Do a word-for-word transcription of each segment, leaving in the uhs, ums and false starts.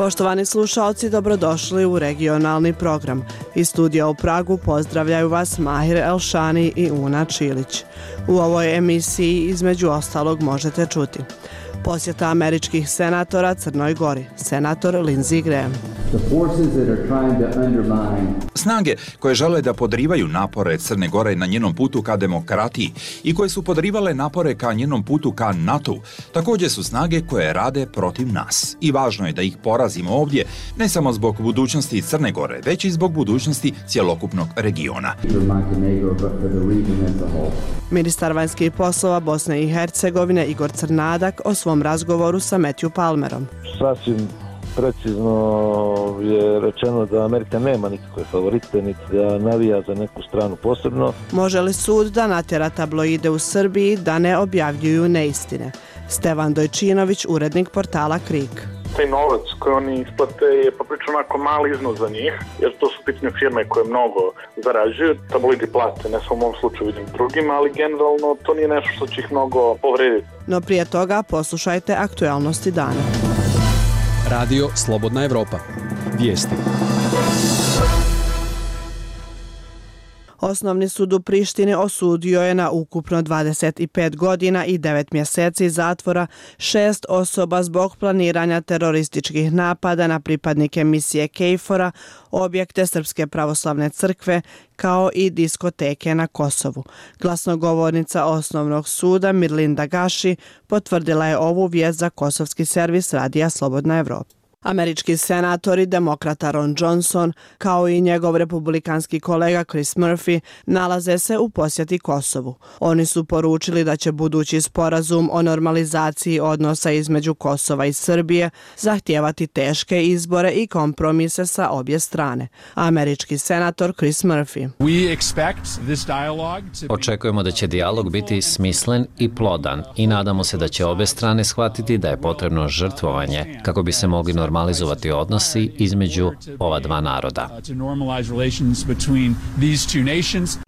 Poštovani slušalci, dobrodošli u regionalni program. Iz studija u Pragu pozdravljaju vas Mahir Elšani i Una Čilić. U ovoj emisiji između ostalog možete čuti: posjeta američkih senatora Crnoj Gori, senator Lindsey Graham. Snage koje žele da podrivaju napore Crne Gore na njenom putu ka demokratiji i koje su podrivale napore ka njenom putu ka NATO, također su snage koje rade protiv nas. I važno je da ih porazimo ovdje, ne samo zbog budućnosti Crne Gore, već i zbog budućnosti cjelokupnog regiona. Ministar vanjskih poslova Bosne i Hercegovine Igor Crnadak o svom razgovoru sa Matthew Palmerom. Sasvim precizno je rečeno da Amerika nema nikakve favorite, niti da navija za neku stranu posebno. Može li sud da natjera tabloide u Srbiji da ne objavljuju neistine? Stevan Dojčinović, urednik portala Krik. Taj novac koji oni isplate je poprično onako mali iznos za njih, jer to su pitne firme koje mnogo zarađuju. Tabloidi plate, ne samo u mom slučaju, vidim drugima, ali generalno to nije nešto što će ih mnogo povrediti. No prije toga poslušajte aktualnosti dana. Radio Slobodna Evropa. Vijesti. Osnovni sud u Prištini osudio je na ukupno dvadeset pet godina i devet mjeseci zatvora šest osoba zbog planiranja terorističkih napada na pripadnike misije KFOR-a, objekte Srpske pravoslavne crkve, kao i diskoteke na Kosovu. Glasnogovornica osnovnog suda Mirlinda Gaši potvrdila je ovu vijest za kosovski servis Radija Slobodna Evropa. Američki senator i demokrata Ron Johnson, kao i njegov republikanski kolega Chris Murphy, nalaze se u posjeti Kosovu. Oni su poručili da će budući sporazum o normalizaciji odnosa između Kosova i Srbije zahtijevati teške izbore i kompromise sa obje strane. Američki senator Chris Murphy: Očekujemo da će dijalog biti smislen i plodan i nadamo se da će obe strane shvatiti da je potrebno žrtvovanje kako bi se mogli normalizovati normalizovati odnosi između ova dva naroda.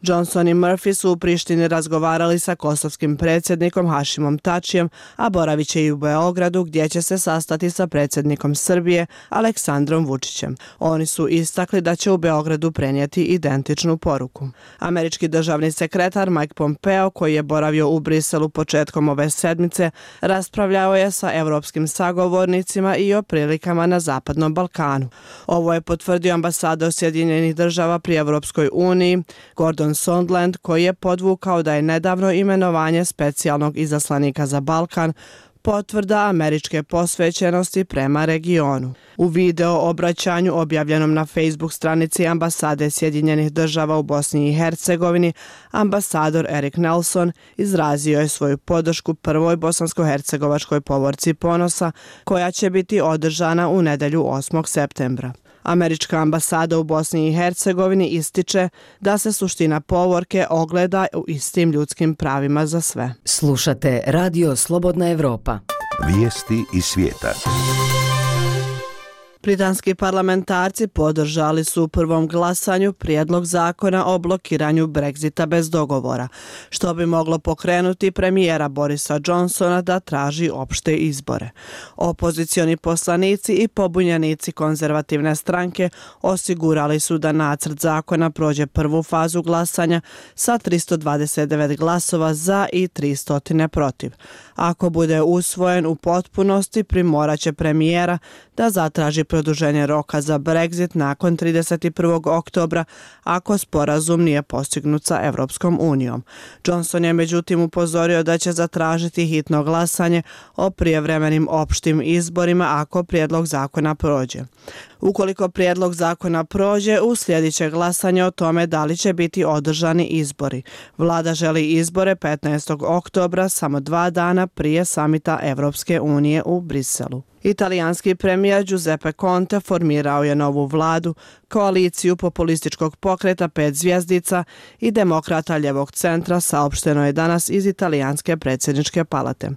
Johnson i Murphy su u Prištini razgovarali sa kosovskim predsjednikom Hašimom Tačijem, a boravit će i u Beogradu gdje će se sastati sa predsjednikom Srbije Aleksandrom Vučićem. Oni su istakli da će u Beogradu prenijeti identičnu poruku. Američki državni sekretar Mike Pompeo, koji je boravio u Briselu početkom ove sedmice, raspravljao je sa evropskim sagovornicima i o prilikama na Zapadnom Balkanu. Ovo je potvrdio ambasador Sjedinjenih država pri Evropskoj uniji Gordon Sondland, koji je podvukao da je nedavno imenovanje specijalnog izaslanika za Balkan potvrda američke posvećenosti prema regionu. U video obraćanju objavljenom na Facebook stranici ambasade Sjedinjenih država u Bosni i Hercegovini, ambasador Erik Nelson izrazio je svoju podršku prvoj bosansko-hercegovačkoj povorci ponosa, koja će biti održana u nedjelju osmog septembra. Američka ambasada u Bosni i Hercegovini ističe da se suština povorke ogleda u istim ljudskim pravima za sve. Slušate Radio Slobodna Evropa. Vijesti iz svijeta. Britanski parlamentarci podržali su u prvom glasanju prijedlog zakona o blokiranju Brexita bez dogovora, što bi moglo pokrenuti premijera Borisa Johnsona da traži opšte izbore. Opozicioni poslanici i pobunjenici konzervativne stranke osigurali su da nacrt zakona prođe prvu fazu glasanja sa tristo dvadeset devet glasova za i tristo protiv. Ako bude usvojen u potpunosti, primoraće premijera da zatraži produženje roka za Brexit nakon trideset prvog oktobra ako sporazum nije postignut sa Evropskom unijom. Johnson je međutim upozorio da će zatražiti hitno glasanje o prijevremenim opštim izborima ako prijedlog zakona prođe. Ukoliko prijedlog zakona prođe, uslijedit će glasanje o tome da li će biti održani izbori. Vlada želi izbore petnaestog oktobra, samo dva dana prije samita Evropske unije u Briselu. Italijanski premijer Giuseppe Conte formirao je novu vladu, koaliciju populističkog pokreta pet zvjezdica i demokrata ljevog centra, saopšteno je danas iz italijanske predsjedničke palate.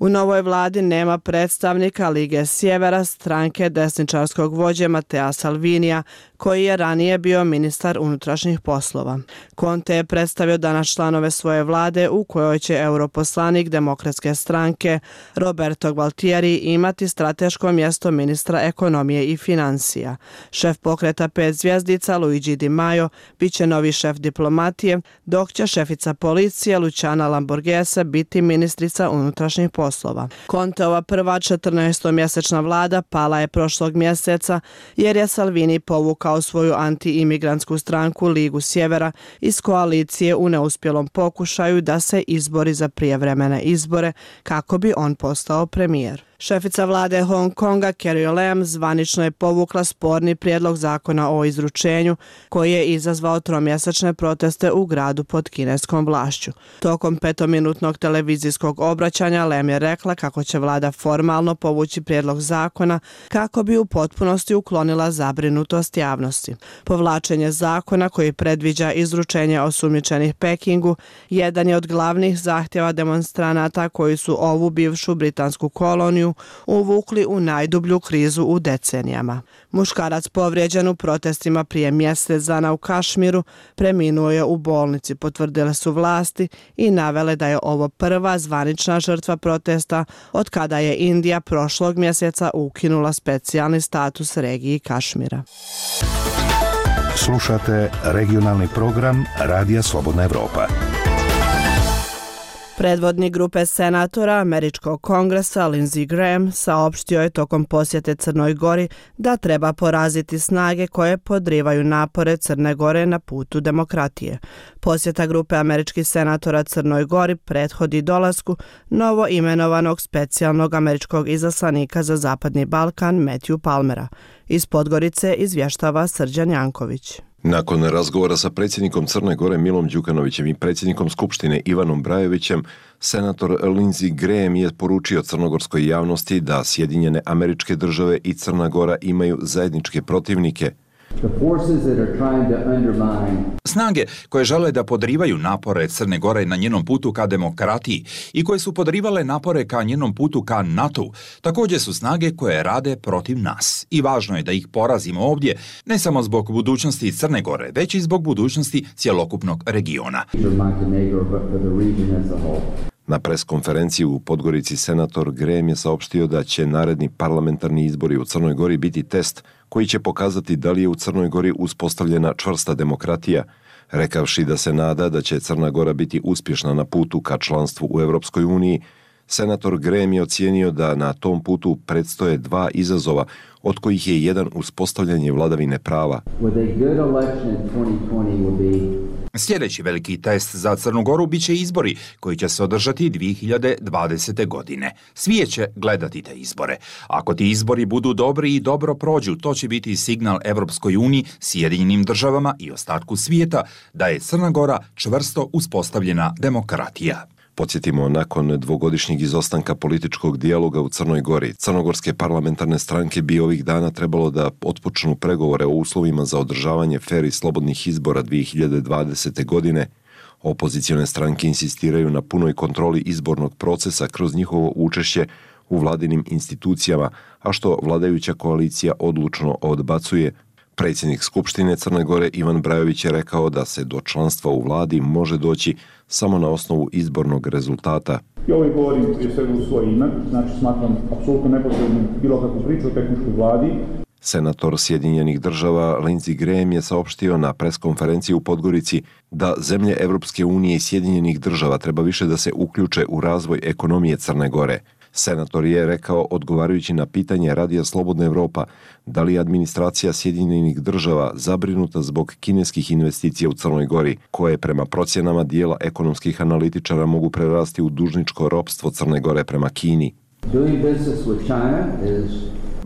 U novoj vladi nema predstavnika Lige Sjevera, stranke desničarskog vođe Mattea Salvinija, koji je ranije bio ministar unutrašnjih poslova. Conte je predstavio danas članove svoje vlade u kojoj će europoslanik Demokratske stranke Roberto Gualtieri imati strateško mjesto ministra ekonomije i financija. Šef pokreta pet zvjezdica Luigi Di Maio bit će novi šef diplomatije, dok će šefica policije Luciana Lamborghese biti ministrica unutrašnjih poslova. Conteova prva četrnaestomjesečna vlada pala je prošlog mjeseca jer je Salvini povukao svoju anti-imigrantsku stranku Ligu Sjevera iz koalicije u neuspjelom pokušaju da se izbori za prijevremene izbore kako bi on postao premijer. Šefica vlade Hong Konga Carrie Lam zvanično je povukla sporni prijedlog zakona o izručenju koji je izazvao tromjesečne proteste u gradu pod kineskom vlašću. Tokom petominutnog televizijskog obraćanja Lam je rekla kako će vlada formalno povući prijedlog zakona kako bi u potpunosti uklonila zabrinutost javnosti. Povlačenje zakona koji predviđa izručenje osumnjičenih Pekingu jedan je od glavnih zahtjeva demonstranata koji su ovu bivšu britansku koloniju uvukli u najdublju krizu u decenijama. Muškarac povrijeđen u protestima prije mjesec dana u Kašmiru preminuo je u bolnici, potvrdile su vlasti i navele da je ovo prva zvanična žrtva protesta od kada je Indija prošlog mjeseca ukinula specijalni status regiji Kašmira. Slušate regionalni program Radija Slobodna Evropa. Predvodnik grupe senatora Američkog kongresa Lindsey Graham saopštio je tokom posjete Crnoj Gori da treba poraziti snage koje podrivaju napore Crne Gore na putu demokratije. Posjeta grupe američkih senatora Crnoj Gori prethodi dolasku novo imenovanog specijalnog američkog izaslanika za Zapadni Balkan Matthew Palmera. Iz Podgorice izvještava Srđan Janković. Nakon razgovora sa predsjednikom Crne Gore Milom Đukanovićem i predsjednikom Skupštine Ivanom Brajovićem, senator Lindsey Graham je poručio crnogorskoj javnosti da Sjedinjene Američke Države i Crna Gora imaju zajedničke protivnike. Snage koje žele da podrivaju napore Crne Gore na njenom putu ka demokratiji i koje su podrivale napore ka njenom putu ka NATO, također su snage koje rade protiv nas. I važno je da ih porazimo ovdje, ne samo zbog budućnosti Crne Gore, već i zbog budućnosti cjelokupnog regiona. Na preskonferenciji u Podgorici senator Graham je saopštio da će naredni parlamentarni izbori u Crnoj Gori biti test koji će pokazati da li je u Crnoj Gori uspostavljena čvrsta demokratija, rekavši da se nada da će Crna Gora biti uspješna na putu ka članstvu u Europskoj uniji. Senator Graham je ocijenio da na tom putu predstoje dva izazova, od kojih je jedan uspostavljanje vladavine prava. Sljedeći veliki test za Crnu Goru bit će izbori koji će se održati dvije hiljade dvadesete. godine. Svi će gledati te izbore. Ako ti izbori budu dobri i dobro prođu, to će biti signal Evropskoj uniji, Sjedinjenim državama i ostatku svijeta da je Crna Gora čvrsto uspostavljena demokratija. Podsjetimo, nakon dvogodišnjeg izostanka političkog dijaloga u Crnoj Gori, crnogorske parlamentarne stranke bi ovih dana trebalo da otpočnu pregovore o uslovima za održavanje fer i slobodnih izbora dvije hiljade dvadesete. godine. Opozicione stranke insistiraju na punoj kontroli izbornog procesa kroz njihovo učešće u vladinim institucijama, a što vladajuća koalicija odlučno odbacuje. Predsjednik Skupštine Crne Gore Ivan Brajović je rekao da se do članstva u vladi može doći samo na osnovu izbornog rezultata. Ja ovo govorim prije svega u svoje ime, znači smatram apsolutno nepotrebnim bilo kakvu priču o tehničkoj vladi. Senator Sjedinjenih država Lindsey Graham je saopštio na preskonferenciji u Podgorici da zemlje Evropske unije i Sjedinjenih država treba više da se uključe u razvoj ekonomije Crne Gore. Senator je rekao, odgovarajući na pitanje Radija Slobodna Evropa, da li je administracija Sjedinjenih država zabrinuta zbog kineskih investicija u Crnoj Gori, koje prema procjenama dijela ekonomskih analitičara mogu prerasti u dužničko ropstvo Crne Gore prema Kini.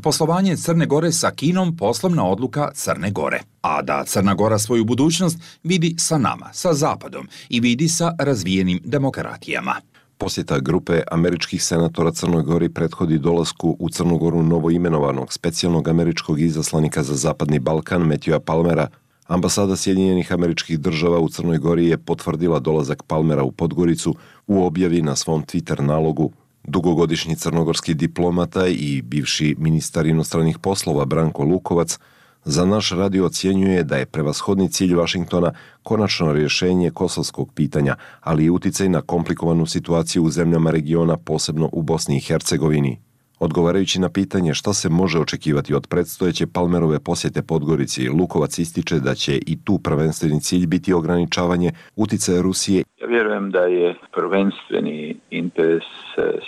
Poslovanje Crne Gore sa Kinom poslovna odluka Crne Gore, a da Crna Gora svoju budućnost vidi sa nama, sa Zapadom i vidi sa razvijenim demokratijama. Posjeta grupe američkih senatora Crnoj Gori prethodi dolasku u Crnu Goru novoimenovanog specijalnog američkog izaslanika za Zapadni Balkan Matthewa Palmera. Ambasada Sjedinjenih Američkih Država u Crnoj Gori je potvrdila dolazak Palmera u Podgoricu u objavi na svom Twitter nalogu. Dugogodišnji crnogorski diplomata i bivši ministar inostranih poslova Branko Lukovac Za naš radio ocjenjuje da je prevashodni cilj Vašingtona konačno rješenje kosovskog pitanja, ali i uticaj na komplikovanu situaciju u zemljama regiona, posebno u Bosni i Hercegovini. Odgovarajući na pitanje šta se može očekivati od predstojeće Palmerove posjete Podgorici, Lukovac ističe da će i tu prvenstveni cilj biti ograničavanje uticaja Rusije. Ja vjerujem da je prvenstveni interes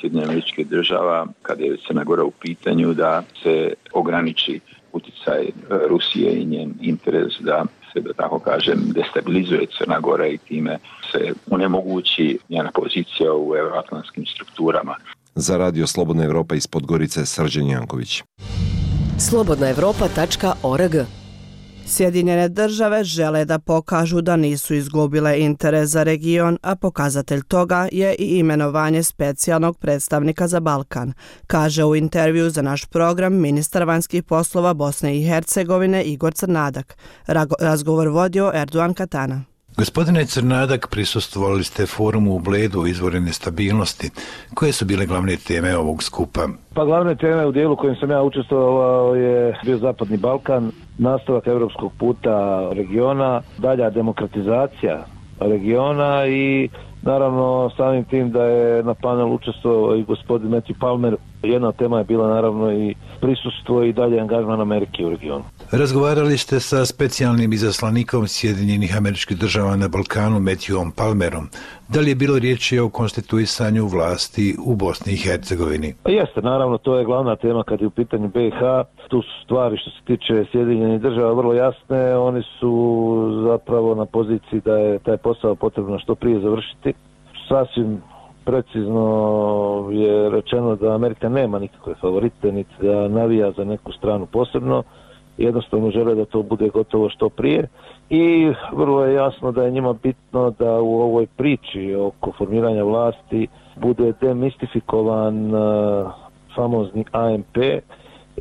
Sjedinjenih Američkih Država, kada je Crna Gora u pitanju, da se ograniči uticaj Rusije i njen interes da se, da tako kažem, destabilizuje Crna Gora i time se onemogući njena pozicija u euroatlantskim strukturama. Za radio Slobodna Evropa iz Podgorice, Srđan Janković. slobodna evropa tačka org. Sjedinjene države žele da pokažu da nisu izgubile interes za region, a pokazatelj toga je i imenovanje specijalnog predstavnika za Balkan, kaže u intervju za naš program ministar vanjskih poslova Bosne i Hercegovine Igor Crnadak. Razgovor vodio Erdogan Katana. Gospodine Crnadak, prisustvovali ste forumu u Bledu o izvoru nestabilnosti. Koje su bile glavne teme ovog skupa? Pa glavne teme u dijelu kojim sam ja učestvovao je bio Zapadni Balkan, nastavak europskog puta regiona, dalja demokratizacija regiona i naravno samim tim da je na panelu učestvovao i gospodin Matthew Palmer. Jedna od tema je bila naravno i prisustvo i dalje angažman Amerike u regionu. Razgovarali ste sa specijalnim izaslanikom Sjedinjenih Američkih Država na Balkanu Matthewom Palmerom. Da li je bilo riječi o konstituisanju vlasti u Bosni i Hercegovini? Pa jeste, naravno, to je glavna tema kad je u pitanju B i H. Tu su stvari što se tiče Sjedinjenih Država vrlo jasne. Oni su zapravo na poziciji da je taj posao potrebno što prije završiti. Sasvim precizno je rečeno da Amerika nema nikakve favorite, niti da navija za neku stranu posebno. Jednostavno žele da to bude gotovo što prije i vrlo je jasno da je njima bitno da u ovoj priči oko formiranja vlasti bude demistifikovan uh, famozni A M P,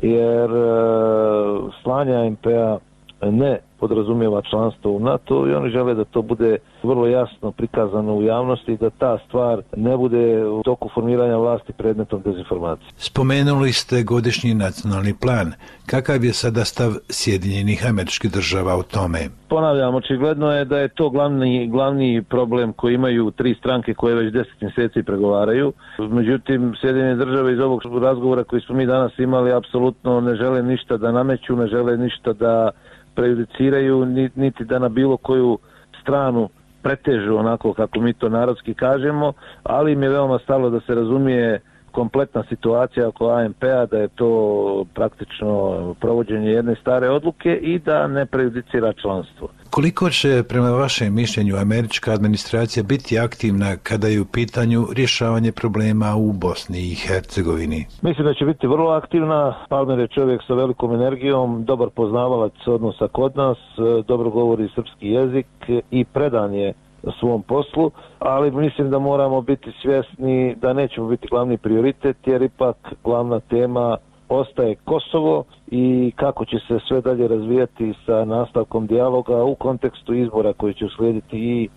jer uh, slanje A M P-a ne podrazumijeva članstvo u NATO i oni žele da to bude vrlo jasno prikazano u javnosti i da ta stvar ne bude u toku formiranja vlasti predmetom dezinformacije. Spomenuli ste godišnji nacionalni plan. Kakav je sada stav Sjedinjenih Američkih Država o tome? Ponavljam, očigledno je da je to glavni, glavni problem koji imaju tri stranke koje već deset mjeseci pregovaraju. Međutim, Sjedinjene Države iz ovog razgovora koji smo mi danas imali apsolutno ne žele ništa da nameću, ne žele ništa da prejudiciraju, niti da na bilo koju stranu pretežu onako kako mi to narodski kažemo, ali im je veoma stalo da se razumije kompletna situacija oko A M P-a, da je to praktično provođenje jedne stare odluke i da ne prejudicira članstvo. Koliko će prema vašem mišljenju američka administracija biti aktivna kada je u pitanju rješavanje problema u Bosni i Hercegovini? Mislim da će biti vrlo aktivna. Palmer je čovjek sa velikom energijom, dobar poznavalac odnosa kod nas, dobro govori srpski jezik i predan je svom poslu, ali mislim da moramo biti svjesni da nećemo biti glavni prioritet, jer ipak glavna tema ostaje Kosovo i kako će se sve dalje razvijati sa nastavkom dijaloga u kontekstu izbora koji će uslijediti i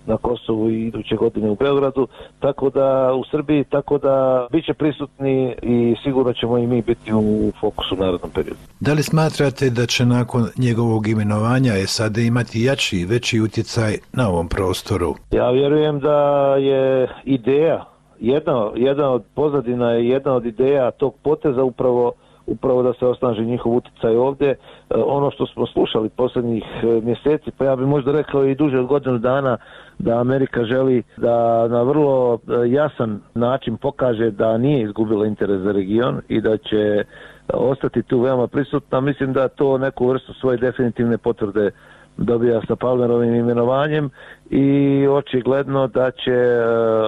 na Kosovu i iduće godine u Beogradu, tako da u Srbiji, tako da bit će prisutni i sigurno ćemo i mi biti u fokusu u narednom periodu. Da li smatrate da će nakon njegovog imenovanja S A D imati jači i veći utjecaj na ovom prostoru? Ja vjerujem da je ideja, jedna, jedna od pozadina je jedna od ideja tog poteza upravo upravo da se osnaži njihov utjecaj ovdje. Ono što smo slušali posljednjih mjeseci, pa ja bih možda rekao i duže od godinu dana, da Amerika želi da na vrlo jasan način pokaže da nije izgubila interes za region i da će ostati tu veoma prisutna. Mislim da to neku vrstu svoje definitivne potvrde dobija sa Palmerovim imenovanjem i očigledno da će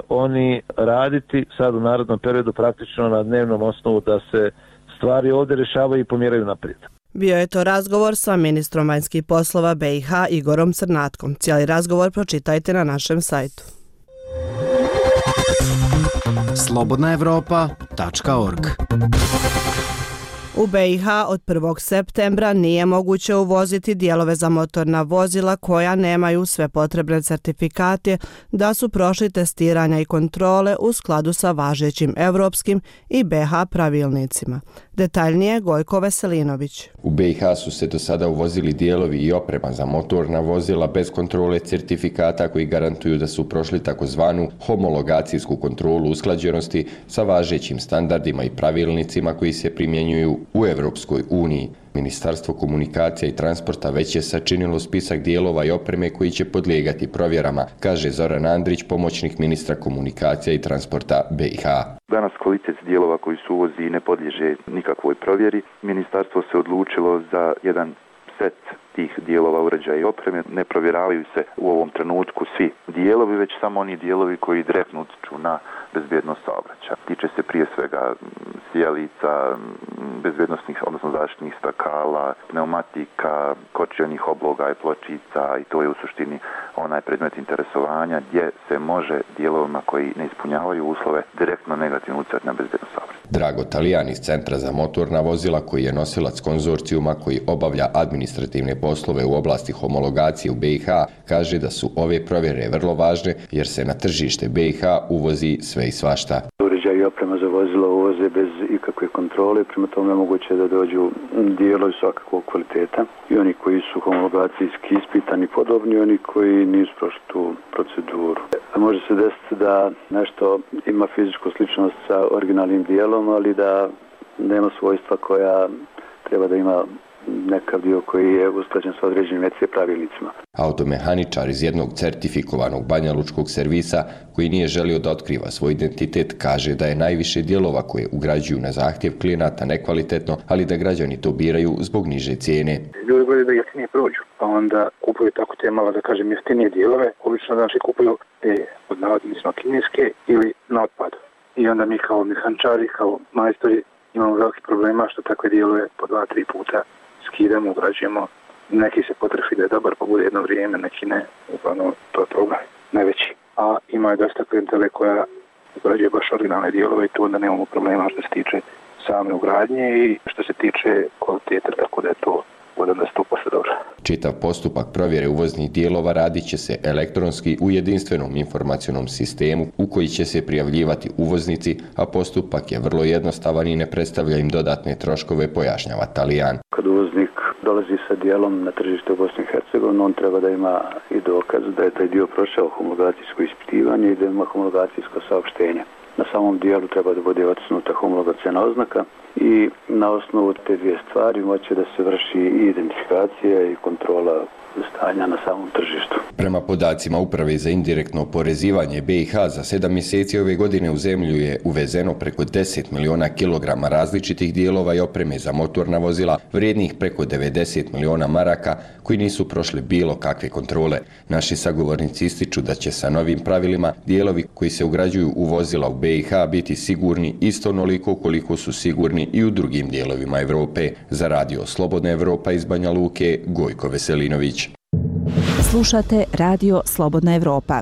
oni raditi sad u narednom periodu praktično na dnevnom osnovu da se stvari ovdje rješavaju i pomjeraju naprijed. Bio je to razgovor sa ministrom vanjskih poslova B i H Igorom Crnatkom. Cijeli razgovor pročitajte na našem sajtu. slobodna evropa tačka org U B i H od prvog septembra nije moguće uvoziti dijelove za motorna vozila koja nemaju sve potrebne certifikate da su prošli testiranja i kontrole u skladu sa važećim europskim i B i H pravilnicima. Detaljnije Gojko Veselinović. U B i H su se do sada uvozili dijelovi i oprema za motorna vozila bez kontrole certifikata koji garantuju da su prošli takozvanu homologacijsku kontrolu usklađenosti sa važećim standardima i pravilnicima koji se primjenjuju u Evropskoj uniji. Ministarstvo komunikacija i transporta već je sačinilo spisak dijelova i opreme koji će podlijegati provjerama, kaže Zoran Andrić, pomoćnik ministra komunikacija i transporta B i H. Danas kvalitet dijelova koji su uvozi ne podliježe nikakvoj provjeri. Ministarstvo se odlučilo za jedan set tih dijelova, uređaja i opreme. Ne provjeravaju se u ovom trenutku svi dijelovi, već samo oni dijelovi koji direktno utiču na bezbjednost saobraćaja. Tiče se prije svega sijalica, bezbjednosnih, odnosno zaštitnih stakala, pneumatika, kočionih obloga i pločica, i to je u suštini onaj predmet interesovanja gdje se može dijelovima koji ne ispunjavaju uslove direktno negativno utjecati na bezbjednost saobraćaja. Drago Talijan iz Centra za motorna vozila, koji je nosilac konzorcijuma koji obavlja administrativne poslove u oblasti homologacije u B i H, kaže da su ove provjere vrlo važne jer se na tržište B i H uvozi sve i svašta. Uređaj i oprema za vozilo uvoze bez ikakve kontrole, prema tome je moguće da dođu dijelovi svakakvog kvaliteta, i oni koji su homologacijski ispitani podobni, i oni koji nisu prošli tu proceduru. Može se desiti da nešto ima fizičku sličnost sa originalnim dijelom, ali da nema svojstva koja treba da ima nekav dio koji je usklađen sa određenim E C pravilnicima. Automehaničar iz jednog certifikovanog banjalučkog servisa, koji nije želio da otkriva svoj identitet, kaže da je najviše dijelova koje ugrađuju na zahtjev klijenata nekvalitetno, ali da građani to biraju zbog niže cijene. Ljudi gledaju da jeftinije prođu, pa onda kupuju tako te malo, da kažem, jeftinije dijelove. Obično znači kupuju te od navodnicima kineske ili na otpadu. I onda mi kao mehančari, kao majstori imamo veliki problema što takve dijelove po dva, tri puta skidamo, ugrađujemo. Neki se potrefi da je dobar, pa bude jedno vrijeme, neki ne. Uglavnom, to je problem najveći. A ima i dosta klijentele koja ugrađuje baš originalne dijelove i tu onda nemamo problema što se tiče same ugradnje i što se tiče kvalitete, tako da je to da sto posto dobro. Čitav postupak provjere uvoznih dijelova radit će se elektronski u jedinstvenom informacionom sistemu u koji će se prijavljivati uvoznici, a postupak je vrlo jednostavan i ne predstavlja im dodatne troškove, pojašnjava Talijan. Kad uvoznik dolazi sa dijelom na tržište u Bosni i Hercegovini, on treba da ima i dokaz da je taj dio prošao homologacijsko ispitivanje i da ima homologacijsko saopštenje. Na samom dijelu treba da bude otisnuta homologacijna oznaka i na osnovu te dvije stvari moće da se vrši i identifikacija i kontrola stanja na samom tržištu. Prema podacima Uprave za indirektno oporezivanje B i H, za sedam mjeseci ove godine u zemlju je uvezeno preko deset miliona kilograma različitih dijelova i opreme za motorna vozila, vrijednih preko devedeset miliona maraka, koji nisu prošli bilo kakve kontrole. Naši sagovornici ističu da će sa novim pravilima dijelovi koji se ugrađuju u vozila u B i H biti sigurni isto onoliko koliko su sigurni i u drugim dijelovima Evrope. Za Radio Slobodna Evropa iz Banja Luke, Gojko Veselinović. Slušate Radio Slobodna Evropa.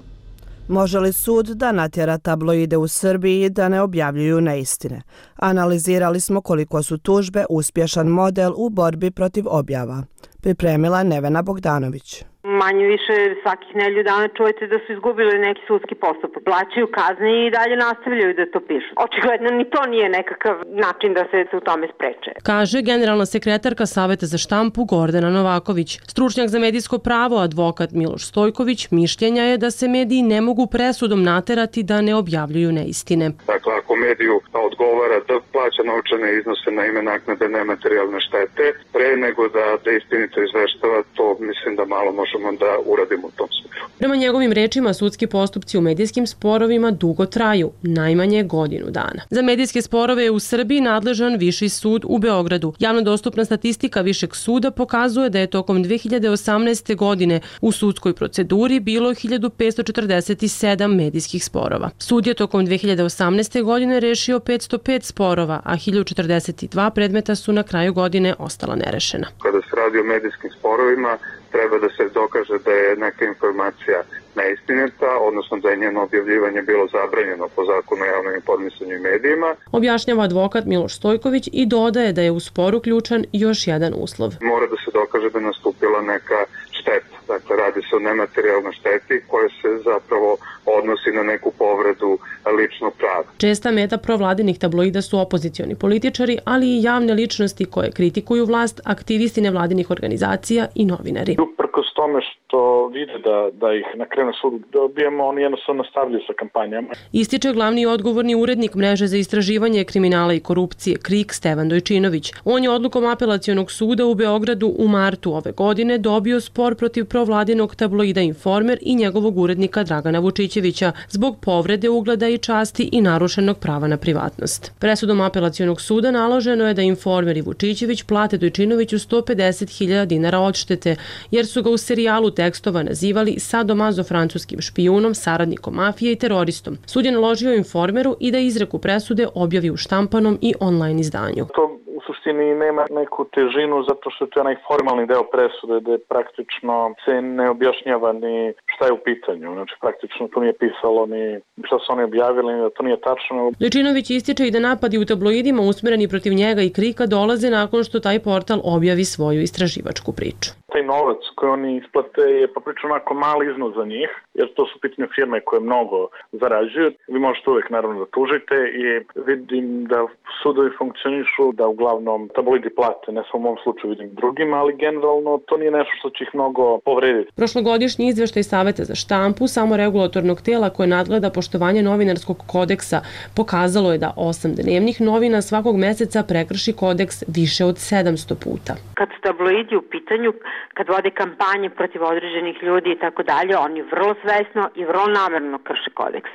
Može li sud da natjera tabloide u Srbiji da ne objavljuju neistine? Analizirali smo koliko su tužbe uspješan model u borbi protiv objava. Pripremila Nevena Bogdanović. Manje više svakih nedelju dana čujete da su izgubili neki sudski postupak. Plaćaju kazne i dalje nastavljaju da to pišu. Očigledno ni to nije nekakav način da se u tome spreče. Kaže generalna sekretarka Saveta za štampu Gordana Novaković. Stručnjak za medijsko pravo, advokat Miloš Stojković, mišljenja je da se mediji ne mogu presudom naterati da ne objavljuju neistine. Dakle, ako mediju odgovara da plaća novčane iznose na ime naknade nematerijalne štete, pre nego da, da istinito izveštava, to mislim da malo može da uradimo u tom smislu. Prema njegovim rečima, sudski postupci u medijskim sporovima dugo traju, najmanje godinu dana. Za medijske sporove je u Srbiji nadležan Viši sud u Beogradu. Javno dostupna statistika Višeg suda pokazuje da je tokom dve hiljade osamnaeste. godine u sudskoj proceduri bilo hiljadu petsto četrdeset sedam medijskih sporova. Sud je tokom dve hiljade osamnaeste. godine rešio petsto pet sporova, a hiljadu četrdeset dva predmeta su na kraju godine ostala nerešena. Kada se radi o medijskim sporovima, treba da se dokaže da je neka informacija neistinita, odnosno da je njeno objavljivanje bilo zabranjeno po zakonu o javnom informisanju i medijima. Objašnjava advokat Miloš Stojković i dodaje da je u spor uključen još jedan uslov. Mora da se dokaže da je nastupila neka šteta. Dakle, radi se o nematerijalnoj šteti koja se zapravo odnosi na neku povredu ličnog prava. Česta meta provladinih tabloida su opozicioni političari, ali i javne ličnosti koje kritikuju vlast, aktivisti nevladinih organizacija i novinari. Uprkos tome što vide da, da ih na kraju na sudu dobijemo, oni jednostavno nastavljaju sa kampanjama. Ističe glavni i odgovorni urednik mreže za istraživanje kriminala i korupcije KRIK Stevan Dojčinović. On je odlukom apelacionog suda u Beogradu u martu ove godine dobio spor protiv provladinog tabloida Informer i njegovog urednika Dragana Vučićevića zbog povrede ugleda i časti i narušenog prava na privatnost. Presudom apelacionog suda naloženo je da Informer i Vučićević plate Dojčinoviću sto pedeset hiljada dinara odštete, jer su ga u serijalu tekstova nazivali sadomazo francuskim špijunom, saradnikom mafije i teroristom. Sud je naložio Informeru i da izreku presude objavi u štampanom i online izdanju. To u suštini nema neku težinu zato što je to onaj formalni deo presude gde praktično se ne objašnjava ni šta je u pitanju. Znači praktično to nije pisalo ni šta su oni objavili, da to nije tačno. Dojčinović ističe i da napadi u tabloidima usmereni protiv njega i KRIK-a dolaze nakon što taj portal objavi svoju istraživačku priču. Taj novac koji oni isplate je poprično onako mali iznos za njih, jer to su pitanje firme koje mnogo zarađuju. Vi možete uvek naravno da tužite i vidim da sudovi funkcionišu, da uglavnom tabloidi plate, ne samo u mom slučaju vidim drugima, ali generalno to nije nešto što će ih mnogo povrediti. Prošlogodišnji izveštaj Saveta za štampu, samoregulatornog tela koje nadgleda poštovanje novinarskog kodeksa, pokazalo je da osam dnevnih novina svakog meseca prekrši kodeks više od sedamsto puta. Kad su tabloidi u pitanju, kad vode kampanje protiv određenih ljudi i tako dalje, oni vrlo svesno i vrlo namerno krše kodeks.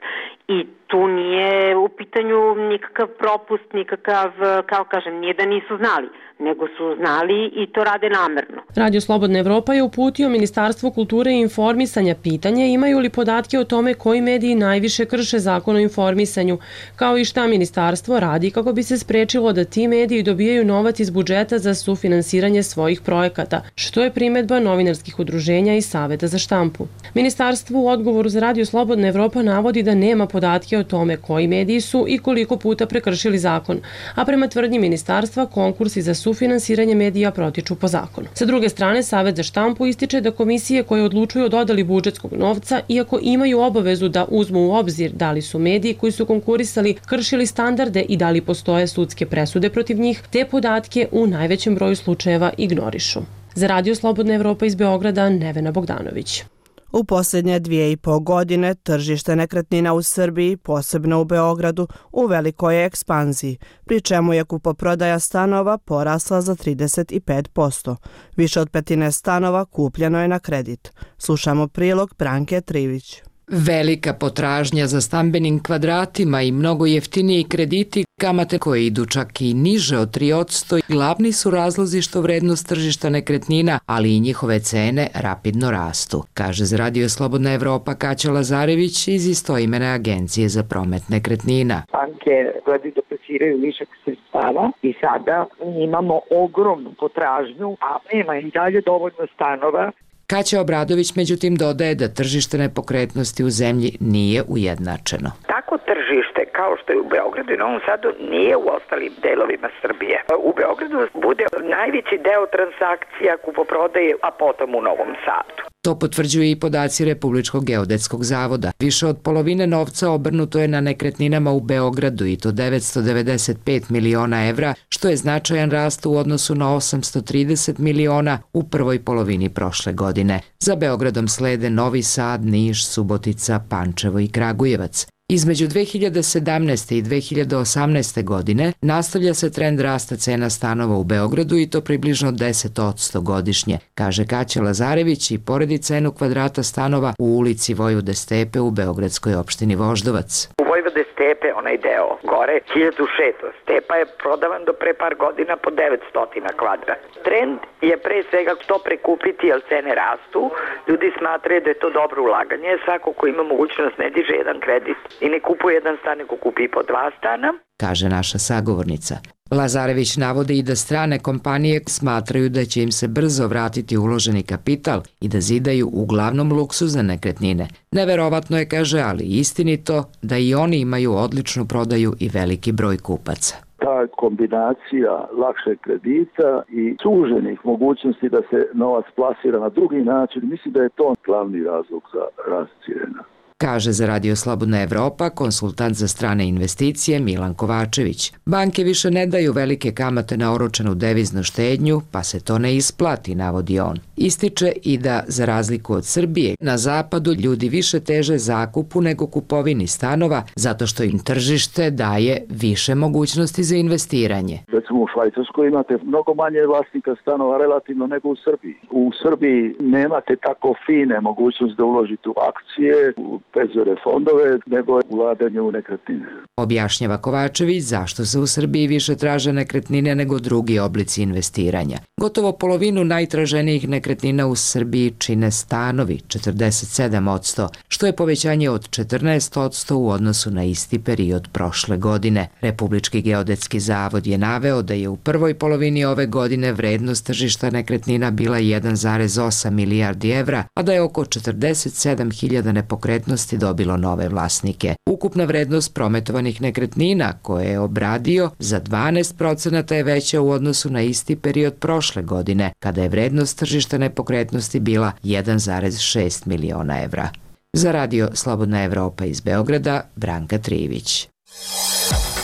I tu nije u pitanju nikakav propust, nikakav, kao kažem, nije da nisu znali, nego su znali i to rade namerno. Radio Slobodna Evropa je uputio Ministarstvu kulture i informisanja pitanje imaju li podatke o tome koji mediji najviše krše zakon o informisanju, kao i šta ministarstvo radi kako bi se sprečilo da ti mediji dobijaju novac iz budžeta za sufinansiranje svojih projekata, što je primedba novinarskih udruženja i Saveta za štampu. Ministarstvo u odgovoru za Radio Slobodna Evropa navodi da nema podatke o tome koji mediji su i koliko puta prekršili zakon, a prema tvrdnji ministarstva konkursi za sufinansiranje medija protiču po zakonu. Sa druge strane, Savet za štampu ističe da komisije koje odlučuju o dodali budžetskog novca, iako imaju obavezu da uzmu u obzir da li su mediji koji su konkurisali kršili standarde i da li postoje sudske presude protiv njih, te podatke u najvećem broju slučajeva ignorišu. Za Radio Slobodna Evropa iz Beograda, Nevena Bogdanović. U posljednje dvije i pol godine tržište nekretnina u Srbiji, posebno u Beogradu, u velikoj je ekspanziji, pri čemu je kupoprodaja stanova porasla za trideset pet posto. Više od petine stanova kupljeno je na kredit. Slušamo prilog Branke Trivić. Velika potražnja za stambenim kvadratima i mnogo jeftiniji krediti, kamate koje idu čak i niže od tri posto, glavni su razlozi što vrednost tržišta nekretnina, ali i njihove cene rapidno rastu, kaže za Radio Slobodna Evropa Kaća Lazarević iz istoimene agencije za promet nekretnina. Banke gledaju da plasiraju višak sredstava i sada imamo ogromnu potražnju, a nema i dalje dovoljno stanova. Kaća Obradović međutim dodaje da tržište nepokretnosti u zemlji nije ujednačeno. Tako tržište kao što je u Beogradu i Novom Sadu nije u ostalim delovima Srbije. U Beogradu bude najveći deo transakcija kupoprodaje, a potom u Novom Sadu. To potvrđuju i podaci Republičkog geodetskog zavoda. Više od polovine novca obrnuto je na nekretninama u Beogradu i to devetsto devedeset pet miliona evra, što je značajan rast u odnosu na osamsto trideset miliona u prvoj polovini prošle godine. Za Beogradom slede Novi Sad, Niš, Subotica, Pančevo i Kragujevac. Između dve hiljade sedamnaeste i dve hiljade osamnaeste godine nastavlja se trend rasta cena stanova u Beogradu i to približno deset posto godišnje, kaže Kaća Lazarević i poredi cenu kvadrata stanova u ulici Vojvode Stepe u beogradskoj opštini Voždovac. U Vojvode Stepe, onaj deo gore, hiljadu šesto. Stepa je prodavan do pre par godina po devetsto kvadrat. Trend je pre svega što prekupiti jer cene rastu. Ljudi smatraju da je to dobro ulaganje. Svako ko ima mogućnost ne diže jedan kredit i ne kupuje jedan stan, nego kupi po dva stana. kaže naša sagovornica. Lazarević navodi i da strane kompanije smatraju da će im se brzo vratiti uloženi kapital i da zidaju uglavnom luksuzne nekretnine. Neverovatno je, kaže, ali istinito da i oni imaju odličnu prodaju i veliki broj kupaca. Ta kombinacija lakšeg kredita i suženih mogućnosti da se novac plasira na drugi način, mislim da je to glavni razlog za rast cijena. Kaže za Radio Slobodna Evropa konsultant za strane investicije Milan Kovačević. Banke više ne daju velike kamate na oročenu deviznu štednju, pa se to ne isplati, navodi on. Ističe i da, za razliku od Srbije, na zapadu ljudi više teže zakupu nego kupovini stanova, zato što im tržište daje više mogućnosti za investiranje. Recimo u Švajcarskoj imate mnogo manje vlasnika stanova relativno nego u Srbiji. U Srbiji nemate tako fine mogućnosti da uložite u akcije, u penzijske fondove, nego ulaganje u nekretnine. Objašnjava Kovačević zašto se u Srbiji više traže nekretnine nego drugi oblici investiranja. Gotovo polovinu najtraženijih nekretnina u Srbiji čine stanovi, četrdeset sedam posto, što je povećanje od četrnaest posto u odnosu na isti period prošle godine. Republički geodetski zavod je naveo da je u prvoj polovini ove godine vrednost tržišta nekretnina bila jedan zarez osam milijardi evra, a da je oko četrdeset sedam hiljada nepokretnosti dobilo nove vlasnike. Ukupna vrednost prometovanih nekretnina koje je obradio za dvanaest procenata je veća u odnosu na isti period prošle godine, kada je vrednost tržišta nepokretnosti bila jedan zarez šest miliona evra. Za Radio Slobodna Evropa iz Beograda, Branka Trivić.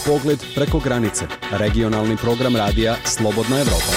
Pogled preko granice. Regionalni program radija Slobodna Evropa.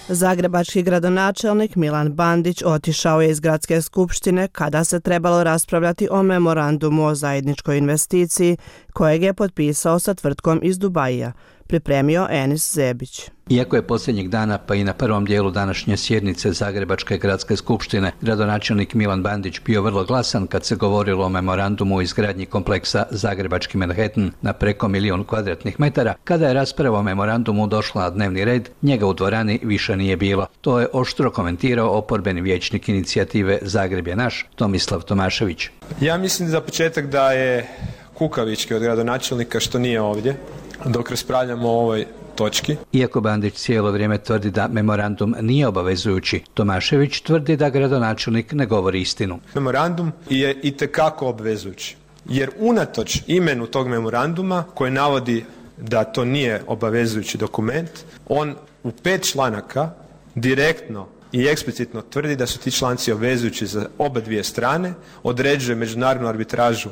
Zagrebački gradonačelnik Milan Bandić otišao je iz gradske skupštine kada se trebalo raspravljati o memorandumu o zajedničkoj investiciji kojeg je potpisao sa tvrtkom iz Dubaija, pripremio Enis Zebić. Iako je posljednjeg dana pa i na prvom dijelu današnje sjednice Zagrebačke gradske skupštine gradonačelnik Milan Bandić bio vrlo glasan kad se govorilo o memorandumu o izgradnji kompleksa Zagrebački Manhattan na preko milijun kvadratnih metara, kada je rasprava o memorandumu došla na dnevni red, njega u dvorani više nije bilo. To je oštro komentirao oporbeni vijećnik inicijative Zagreb je naš, Tomislav Tomašević. Ja mislim za početak da je kukavički od gradonačelnika što nije ovdje dok raspravljamo o ovoj točki. Iako Bandić cijelo vrijeme tvrdi da memorandum nije obavezujući, Tomašević tvrdi da gradonačelnik ne govori istinu. Memorandum je itekako obvezujući, jer unatoč imenu tog memoranduma koji navodi da to nije obavezujući dokument, on u pet članaka direktno i eksplicitno tvrdi da su ti članci obvezujući za oba dvije strane, određuje međunarodnu arbitražu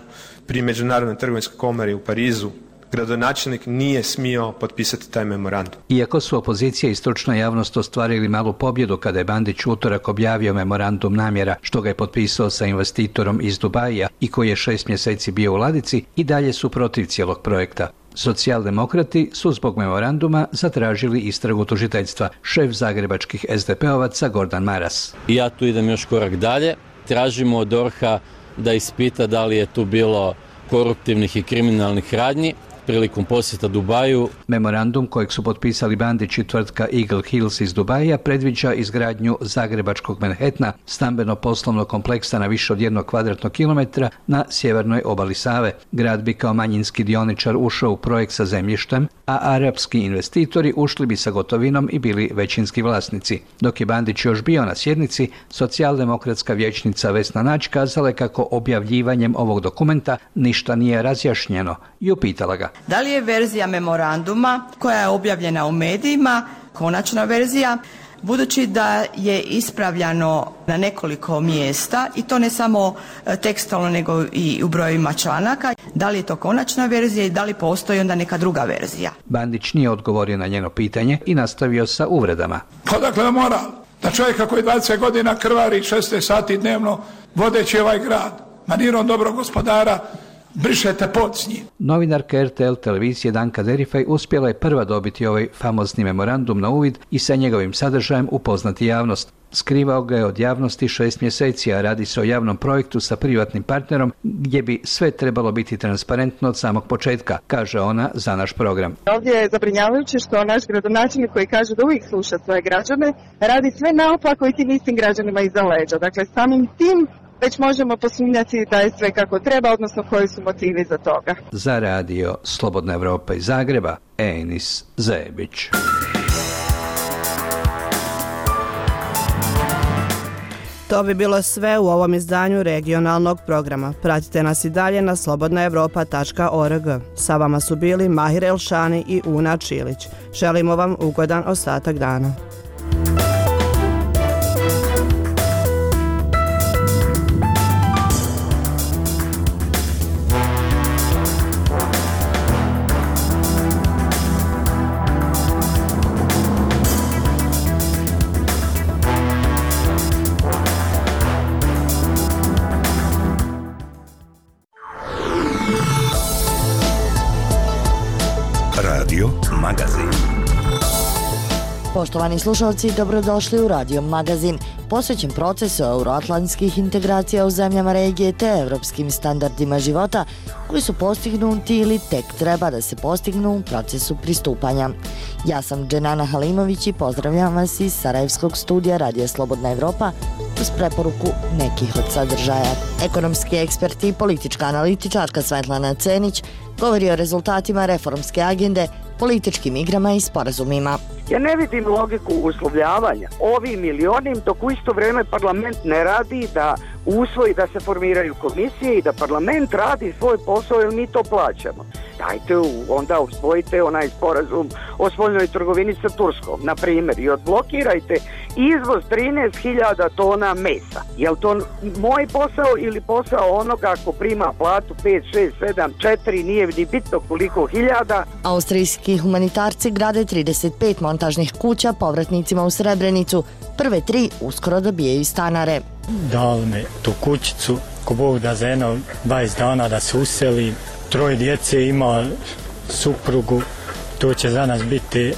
pri Međunarodnoj trgovinskoj komori u Parizu. Gradonačelnik nije smio potpisati taj memorandum. Iako su opozicija i stručna javnost ostvarili malu pobjedu kada je Bandić utorak objavio memorandum namjera što ga je potpisao sa investitorom iz Dubaija i koji je šest mjeseci bio u ladici, i dalje su protiv cijelog projekta. Socijaldemokrati su zbog memoranduma zatražili istragu tužiteljstva. Šef zagrebačkih es de pe ovaca Gordan Maras. I ja tu idem još korak dalje. Tražimo od DORH-a da ispita da li je tu bilo koruptivnih i kriminalnih radnji prilikom posjeta Dubaju. Memorandum kojeg su potpisali Bandić i tvrtka Eagle Hills iz Dubaija predviđa izgradnju Zagrebačkog Manhattana, stambeno-poslovnog kompleksa na više od jednog kvadratnog kilometra na sjevernoj obali Save. Grad bi kao manjinski dioničar ušao u projekt sa zemljištem, a arapski investitori ušli bi sa gotovinom i bili većinski vlasnici. Dok je Bandić još bio na sjednici, socijaldemokratska vijećnica Vesna Nađ kazala je kako objavljivanjem ovog dokumenta ništa nije razjašnjeno i upitala ga: da li je verzija memoranduma koja je objavljena u medijima konačna verzija, budući da je ispravljano na nekoliko mjesta i to ne samo tekstualno nego i u brojevima članaka, da li je to konačna verzija i da li postoji onda neka druga verzija? Bandić nije odgovorio na njeno pitanje i nastavio sa uvredama. Pa dakle moral da čovjeka koji dvadeset godina krvari šesnaest sati dnevno vodeći ovaj grad manirom dobrog gospodara brišete pod s njim. Novinarka er te el televizije Danka Derifaj uspjela je prva dobiti ovaj famozni memorandum na uvid i sa njegovim sadržajem upoznati javnost. Skrivao ga je od javnosti šest mjeseci, a radi se o javnom projektu sa privatnim partnerom gdje bi sve trebalo biti transparentno od samog početka, kaže ona za naš program. Ovdje je zabrinjavajuće što naš gradonačelnik koji kaže da uvijek sluša svoje građane radi sve naopako i tim istim građanima iza leđa. Dakle, samim tim već možemo posumnjati da je sve kako treba, odnosno koji su motivi za toga. Za radio Slobodna Evropa iz Zagreba, Enis Zebić. To bi bilo sve u ovom izdanju regionalnog programa. Pratite nas i dalje na slobodna evropa tačka org. Sa vama su bili Mahir Elšani i Una Čilić. Želimo vam ugodan ostatak dana. Radio Magazin. Poštovani slušalci, dobrodošli u Radio Magazin, posvećen procesu euroatlantskih integracija u zemljama regije te evropskim standardima života koji su postignuti ili tek treba da se postignu u procesu pristupanja. Ja sam Dženana Halimović i pozdravljam vas iz Sarajevskog studija Radija Slobodna Evropa uz preporuku nekih od sadržaja. Ekonomski ekspert i politička analitičarka Svetlana Cenić govori o rezultatima reformske agende, političkim igrama i sporazumima. Ja ne vidim logiku uslovljavanja ovim ili onim, dok u isto vrijeme parlament ne radi da usvoji da se formiraju komisije i da parlament radi svoj posao jer mi to plaćamo. Dajte onda usvojite onaj sporazum o spoljnoj trgovini sa Turskom, na primjer, i odblokirajte izvoz trinaest hiljada tona mesa. Je li to moj posao ili posao onoga ko prima platu pet, šest, sedam, četiri, nije ni bitno koliko hiljada? Austrijski humanitarci grade trideset pet montažnih kuća povratnicima u Srebrenicu. Prve tri uskoro dobijaju stanare. Dali me tu kućicu, ko Bog da za jedno dvadeset dana da se useli. Troje djece ima suprugu, to će za nas biti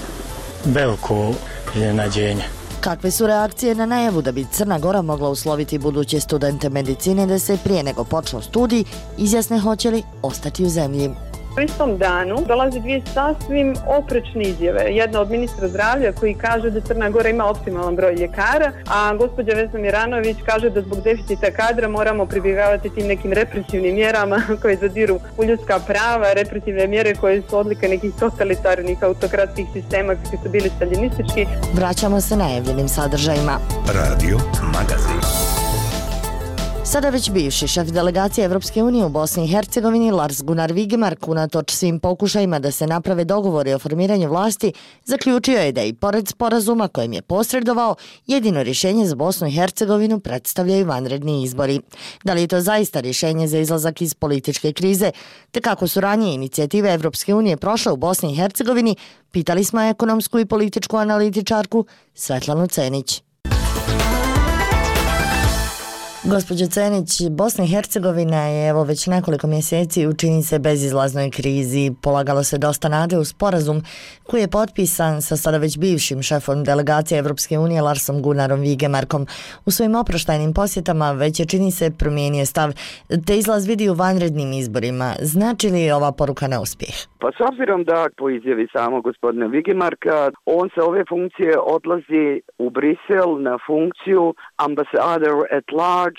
veliko iznenađenje. Kakve su reakcije na najavu da bi Crna Gora mogla usloviti buduće studente medicine da se prije nego počnu studij izjasne hoće li ostati u zemlji? U istom danu dolaze dvije sasvim oprečne izjave. Jedna od ministra zdravlja koji kaže da Crna Gora ima optimalan broj ljekara, a gospođa Vesna Miranović kaže da zbog deficita kadra moramo pribjegavati tim nekim represivnim mjerama koje zadiru u ljudska prava, represivne mjere koje su odlika nekih totalitarnih autokratskih sistema koji su bili staljinistički. Vraćamo se najavljenim sadržajima. Radio Magazin. Sada već bivši šef delegacije Evropske unije u Bosni i Hercegovini Lars Gunnar Vigemark, unatoč svim pokušajima da se naprave dogovori o formiranju vlasti, zaključio je da i pored sporazuma kojem je posredovao, jedino rješenje za Bosnu i Hercegovinu predstavljaju vanredni izbori. Da li je to zaista rješenje za izlazak iz političke krize, te kako su ranije inicijative Evropske unije prošle u Bosni i Hercegovini, pitali smo ekonomsku i političku analitičarku Svetlanu Cenić. Gospođo Cenić, Bosna i Hercegovina je evo već nekoliko mjeseci u čini se bezizlaznoj krizi. Polagalo se dosta nade u sporazum koji je potpisan sa sada već bivšim šefom delegacije Evropske unije Larsom Gunnarom Vigemarkom. U svojim oproštajnim posjetama već je čini se promijenio stav, te izlaz vidi u vanrednim izborima. Znači li ova poruka neuspjeh? Pa s obzirom da po izjavi samog gospodina Vigemarka, on sa ove funkcije odlazi u Brisel na funkciju ambassador at large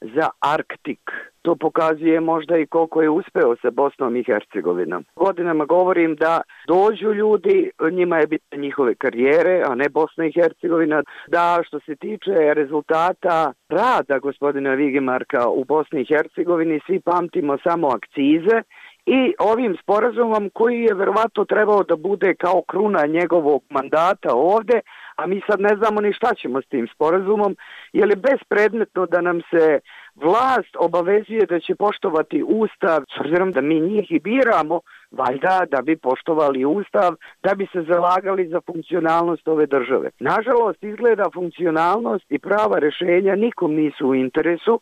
za Arktik. To pokazuje možda i koliko je uspeo sa Bosnom i Hercegovinom. Godinama govorim da dođu ljudi, njima je bitne njihove karijere, a ne Bosna i Hercegovina. Da što se tiče rezultata rada gospodina Vigemarka u Bosni i Hercegovini, svi pamtimo samo akcize i ovim sporazumom koji je verovatno trebao da bude kao kruna njegovog mandata ovde, a mi sad ne znamo ni šta ćemo s tim sporazumom, jer je bespredmetno da nam se vlast obavezuje da će poštovati Ustav, s obzirom da mi njih i biramo, valjda da bi poštovali Ustav, da bi se zalagali za funkcionalnost ove države. Nažalost, izgleda funkcionalnost i prava rješenja nikom nisu u interesu,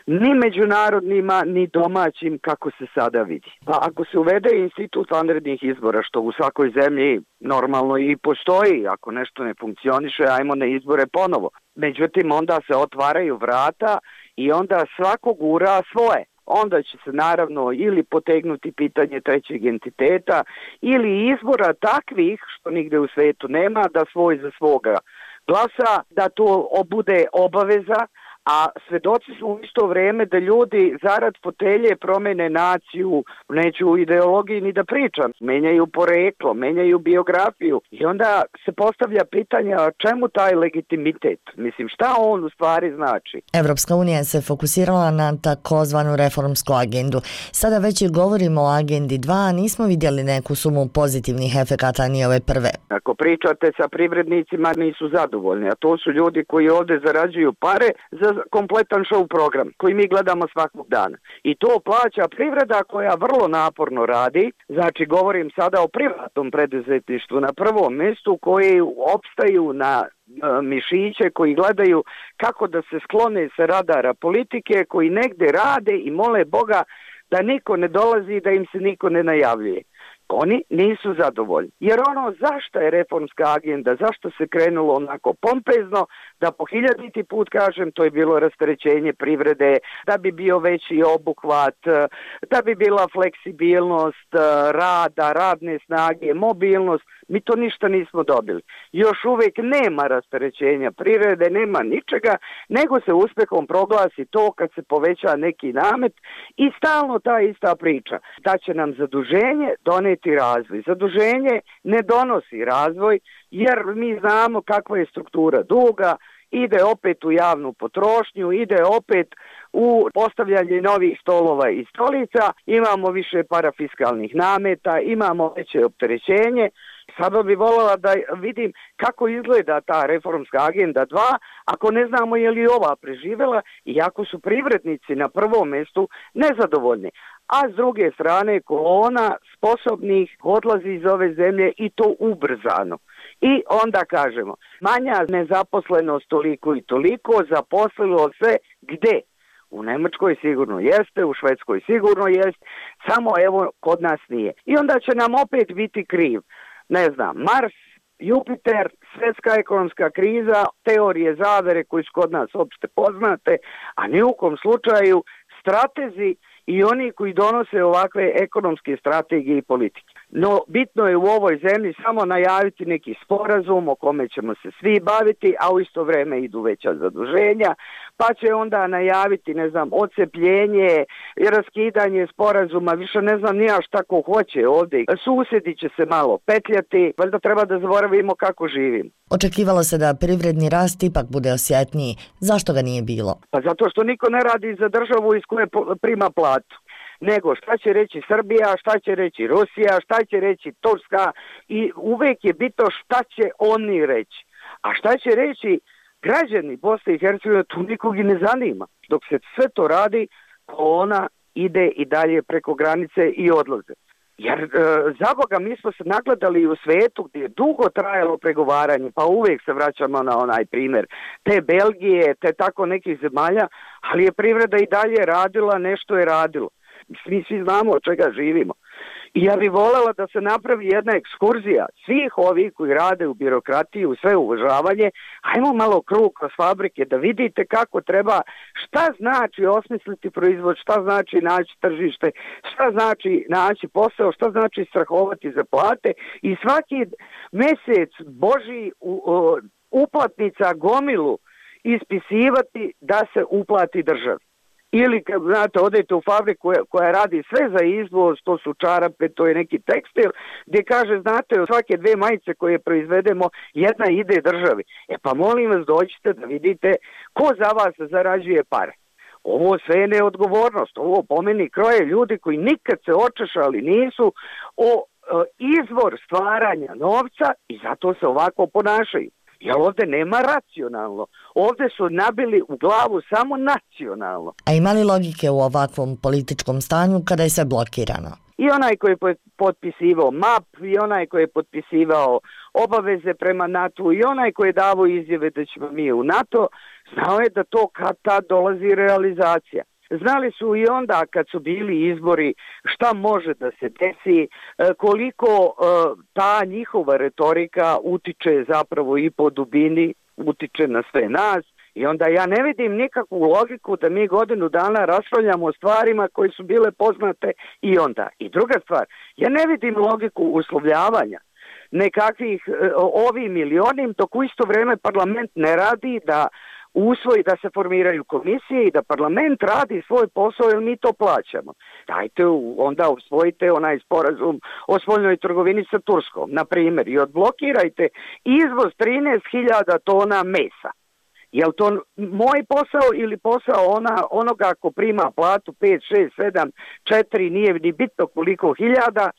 ni međunarodnima, ni domaćim, kako se sada vidi. Pa ako se uvede institut vanrednih izbora, što u svakoj zemlji normalno i postoji, ako nešto ne funkcioniše, ajmo na izbore ponovo. Međutim, onda se otvaraju vrata i onda svako gura svoje. Onda će se naravno ili potegnuti pitanje trećeg entiteta ili izbora takvih, što nigde u svijetu nema, da svoj za svoga glasa, da to bude obaveza, a svedoci smo u isto vrijeme da ljudi zarad fotelje promene naciju, neću u ideologiji ni da pričam, menjaju poreklo, menjaju biografiju i onda se postavlja pitanje čemu taj legitimitet, mislim šta on u stvari znači. Evropska unija se fokusirala na takozvanu reformsku agendu. Sada već i govorimo o agendi dva, a nismo vidjeli neku sumu pozitivnih efekata ni ove prve. Ako pričate sa privrednicima nisu zadovoljni, a to su ljudi koji ovdje zarađuju pare za kompletan show program koji mi gledamo svakog dana. I to plaća privreda koja vrlo naporno radi, znači govorim sada o privatnom preduzetništvu na prvom mjestu koji opstaju na mišiće koji gledaju kako da se sklone sa radara politike, koji negdje rade i mole Boga da niko ne dolazi i da im se niko ne najavljuje. Oni nisu zadovoljni. Jer ono zašto je reformska agenda, zašto se krenulo onako pompezno, da po hiljaditi put kažem, to je bilo rasterećenje privrede, da bi bio veći obuhvat, da bi bila fleksibilnost rada, radne snage, mobilnost, mi to ništa nismo dobili. Još uvijek nema rasterećenja privrede, nema ničega, nego se uspjehom proglasi to kad se poveća neki namet i stalno ta ista priča. Da će nam zaduženje doneti razvoj. Zaduženje ne donosi razvoj jer mi znamo kakva je struktura duga, ide opet u javnu potrošnju, ide opet u postavljanje novih stolova i stolica, imamo više parafiskalnih nameta, imamo veće opterećenje. Sada bi voljela da vidim kako izgleda ta reformska agenda dva, ako ne znamo je li ova preživjela i ako su privrednici na prvom mjestu nezadovoljni. A s druge strane kolona sposobnih odlazi iz ove zemlje i to ubrzano. I onda kažemo, manja nezaposlenost toliko i toliko, zaposlilo se gde? U Njemačkoj sigurno jeste, u Švedskoj sigurno jest, samo evo kod nas nije. I onda će nam opet biti kriv, ne znam, Mars, Jupiter, svjetska ekonomska kriza, teorije zavere koji su kod nas opšte poznate, a ni u kom slučaju stratezi i oni koji donose ovakve ekonomske strategije i politike. No, bitno je u ovoj zemlji samo najaviti neki sporazum o kome ćemo se svi baviti, a u isto vrijeme idu veća zaduženja, pa će onda najaviti, ne znam, odcepljenje i raskidanje sporazuma, više ne znam nija šta ko hoće ovdje. Susjedi će se malo petljati, valjda treba da zaboravimo kako živimo. Očekivalo se da privredni rast ipak bude osjetniji. Zašto ga nije bilo? Pa zato što niko ne radi za državu iz koje prima platu. Nego šta će reći Srbija, šta će reći Rusija, šta će reći Turska i uvijek je bitno šta će oni reći. A šta će reći građani Bosne i Hercegovine, tu nikog i ne zanima. Dok se sve to radi, kolona ide i dalje preko granice i odlaze. Jer e, za Boga mi smo se nagledali u svijetu gdje je dugo trajalo pregovaranje, pa uvijek se vraćamo na onaj primjer te Belgije, te tako nekih zemalja, ali je privreda i dalje radila, nešto je radilo. Mi svi znamo od čega živimo. I ja bih voljela da se napravi jedna ekskurzija svih ovih koji rade u birokratiji, u sve uvažavanje, ajmo malo krug kroz fabrike da vidite kako treba, šta znači osmisliti proizvod, šta znači naći tržište, šta znači naći posao, šta znači strahovati za plate i svaki mjesec Boži uplatnica gomilu ispisivati da se uplati državi. Ili, kad znate, odete u fabriku koja, koja radi sve za izvoz, to su čarape, to je neki tekstil, gdje kaže, znate, od svake dve majice koje proizvedemo, jedna ide državi. E pa molim vas, dođite da vidite ko za vas zarađuje pare. Ovo sve je neodgovornost, ovo po meni kroje ljudi koji nikad se očešali nisu o, o izvor stvaranja novca i zato se ovako ponašaju. Jer ovdje nema racionalno. Ovdje su nabili u glavu samo nacionalno. A ima li logike u ovakvom političkom stanju kada je sve blokirano? I onaj koji je potpisivao M A P, i onaj koji je potpisivao obaveze prema NATO, i onaj koji je davao izjave da ćemo mi u NATO, znao je da to kad tad dolazi realizacija. Znali su i onda kad su bili izbori šta može da se desi, koliko ta njihova retorika utiče zapravo i po dubini, utiče na sve nas. I onda ja ne vidim nikakvu logiku da mi godinu dana raspravljamo o stvarima koje su bile poznate i onda. I druga stvar, ja ne vidim logiku uslovljavanja nekakvih ovim ili onim, dok u isto vrijeme parlament ne radi da usvoji da se formiraju komisije i da parlament radi svoj posao jer mi to plaćamo. Dajte onda usvojite onaj sporazum o spoljnoj trgovini sa Turskom, na primjer, i odblokirajte izvoz trinaest hiljada tona mesa. Je li to moj posao ili posao ona, onoga ko prima platu pet, šest, sedam, četiri, nije ni bitno koliko hiljada,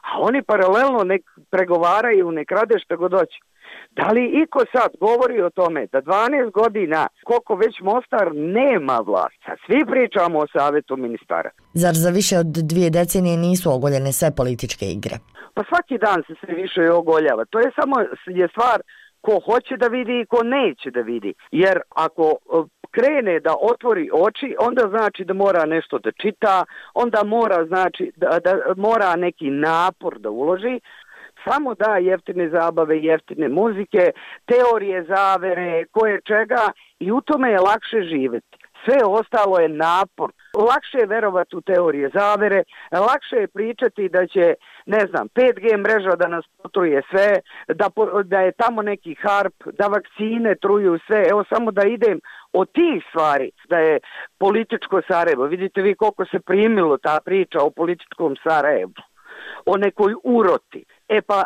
a oni paralelno nek pregovaraju, nek rade što god hoće. Da li iko sad govori o tome da dvanaest godina, koliko već Mostar nema vlast, sad svi pričamo o savjetu ministara. Zar za više od dvije decenije nisu ogoljene sve političke igre? Pa svaki dan se sve više ogoljava. To je samo je stvar ko hoće da vidi i ko neće da vidi. Jer ako krene da otvori oči, onda znači da mora nešto da čita, onda mora znači da, da mora neki napor da uloži. Samo da jeftine zabave, jeftine muzike, teorije zavere, koje čega i u tome je lakše živjeti. Sve ostalo je napor. Lakše je verovati u teorije zavere, lakše je pričati da će, ne znam, pet G mreža da nas potruje sve, da, da je tamo neki harp, da vakcine truju sve. Evo samo da idem od tih stvari, da je političko Sarajevo. Vidite vi koliko se primilo ta priča o političkom Sarajevu, o nekoj uroti. E pa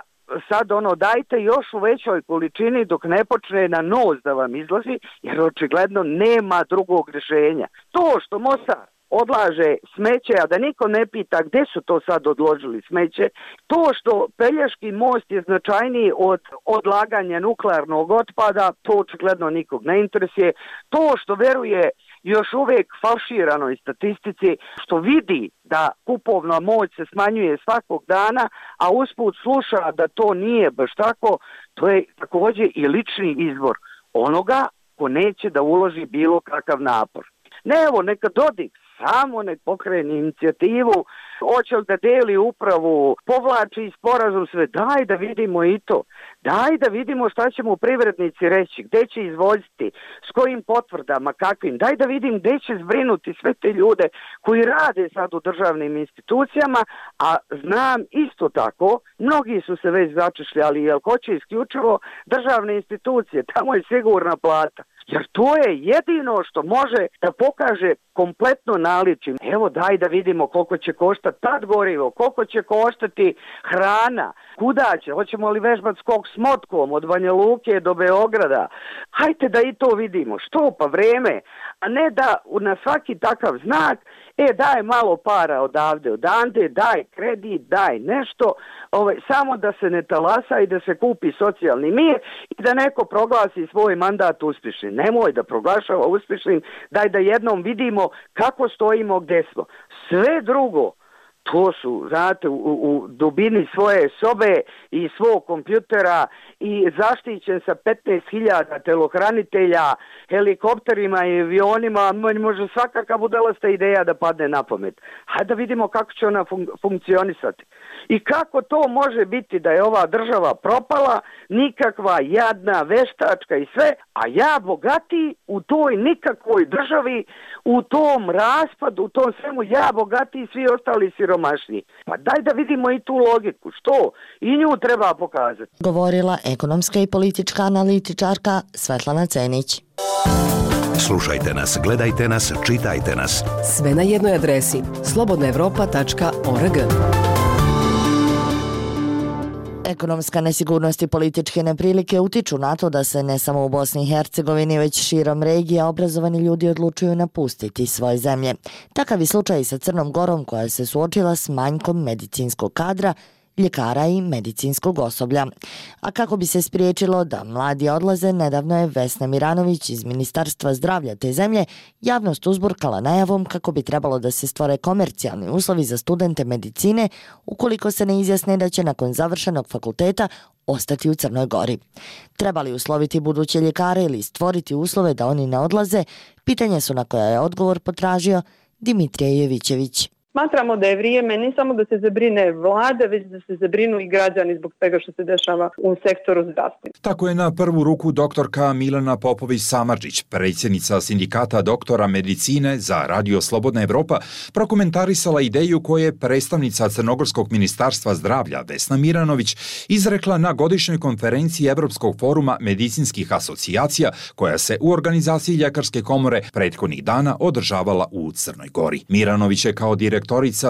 sad ono dajte još u većoj količini dok ne počne na nos da vam izlazi, jer očigledno nema drugog rješenja. To što Mostar odlaže smeće, a da niko ne pita gdje su to sad odložili smeće, to što Pelješki most je značajniji od odlaganja nuklearnog otpada, to očigledno nikog ne interesuje. To što veruje još uvijek falširanoj statistici, što vidi da kupovna moć se smanjuje svakog dana, a usput sluša da to nije baš tako, to je također i lični izbor onoga ko neće da uloži bilo kakav napor. Ne, evo, neka Dodik samo nek pokrene inicijativu, hoće li da deli upravu, povlači sporazum, sve, daj da vidimo i to. Daj da vidimo šta će mu privrednici reći, gdje će izvoziti, s kojim potvrdama, kakvim. Daj da vidim gdje će zbrinuti sve te ljude koji rade sad u državnim institucijama, a znam isto tako, mnogi su se već začešljali, jer hoće isključivo državne institucije, tamo je sigurna plata. Jer to je jedino što može da pokaže kompletno naličje. Evo daj da vidimo koliko će koštati tad gorivo, koliko će koštati hrana, kuda će, hoćemo li vežbati skok s motkom od Banja Luke do Beograda. Hajte da i to vidimo. Što pa vreme, a ne da na svaki takav znak, e daj malo para odavde, odande, daj kredit, daj nešto, ovaj, samo da se ne talasa i da se kupi socijalni mir i da neko proglasi svoj mandat uspješnim. Nemoj da proglašava uspješnim, daj da jednom vidimo kako stojimo, gdje smo. Sve drugo, to su, znate, u, u dubini svoje sobe i svog kompjutera i zaštićen sa petnaest hiljada telohranitelja, helikopterima i avionima, može svakakva budalasta ideja da padne na pamet. Hajde da vidimo kako će ona fun- funkcionisati. I kako to može biti da je ova država propala, nikakva jadna, veštačka i sve, a ja bogati u toj nikakvoj državi, u tom raspadu, u tom svemu, ja bogati i svi ostali siromašni. Pa daj da vidimo i tu logiku. Što? I nju treba pokazati. Govorila ekonomska i politička analitičarka Svetlana Cenić. Slušajte nas, gledajte nas, čitajte nas. Sve na jednoj adresi slobodna evropa tačka org. Ekonomska nesigurnost i političke neprilike utiču na to da se ne samo u Bosni i Hercegovini, već širom regija obrazovani ljudi odlučuju napustiti svoje zemlje. Takav je slučaj i sa Crnom Gorom koja se suočila s manjkom medicinskog kadra, ljekara i medicinskog osoblja. A kako bi se spriječilo da mladi odlaze, nedavno je Vesna Miranović iz Ministarstva zdravlja te zemlje javnost uzburkala najavom kako bi trebalo da se stvore komercijalni uslovi za studente medicine ukoliko se ne izjasne da će nakon završenog fakulteta ostati u Crnoj Gori. Treba li usloviti buduće ljekare ili stvoriti uslove da oni ne odlaze, pitanja su na koja je odgovor potražio Dimitrije Jovićević. Smatramo da je vrijeme ne samo da se zabrine vlada, već da se zabrinu i građani zbog svega što se dešava u sektoru zdravstva. Tako je na prvu ruku doktorka Milana Popović-Samardžić, predsjednica sindikata doktora medicine za Radio Slobodna Evropa, prokomentarisala ideju koje je predstavnica Crnogorskog ministarstva zdravlja Vesna Miranović izrekla na godišnjoj konferenciji Evropskog foruma medicinskih asocijacija koja se u organizaciji Ljekarske komore prethodnih dana održavala u Crnoj Gori. Miranović je kao direktorica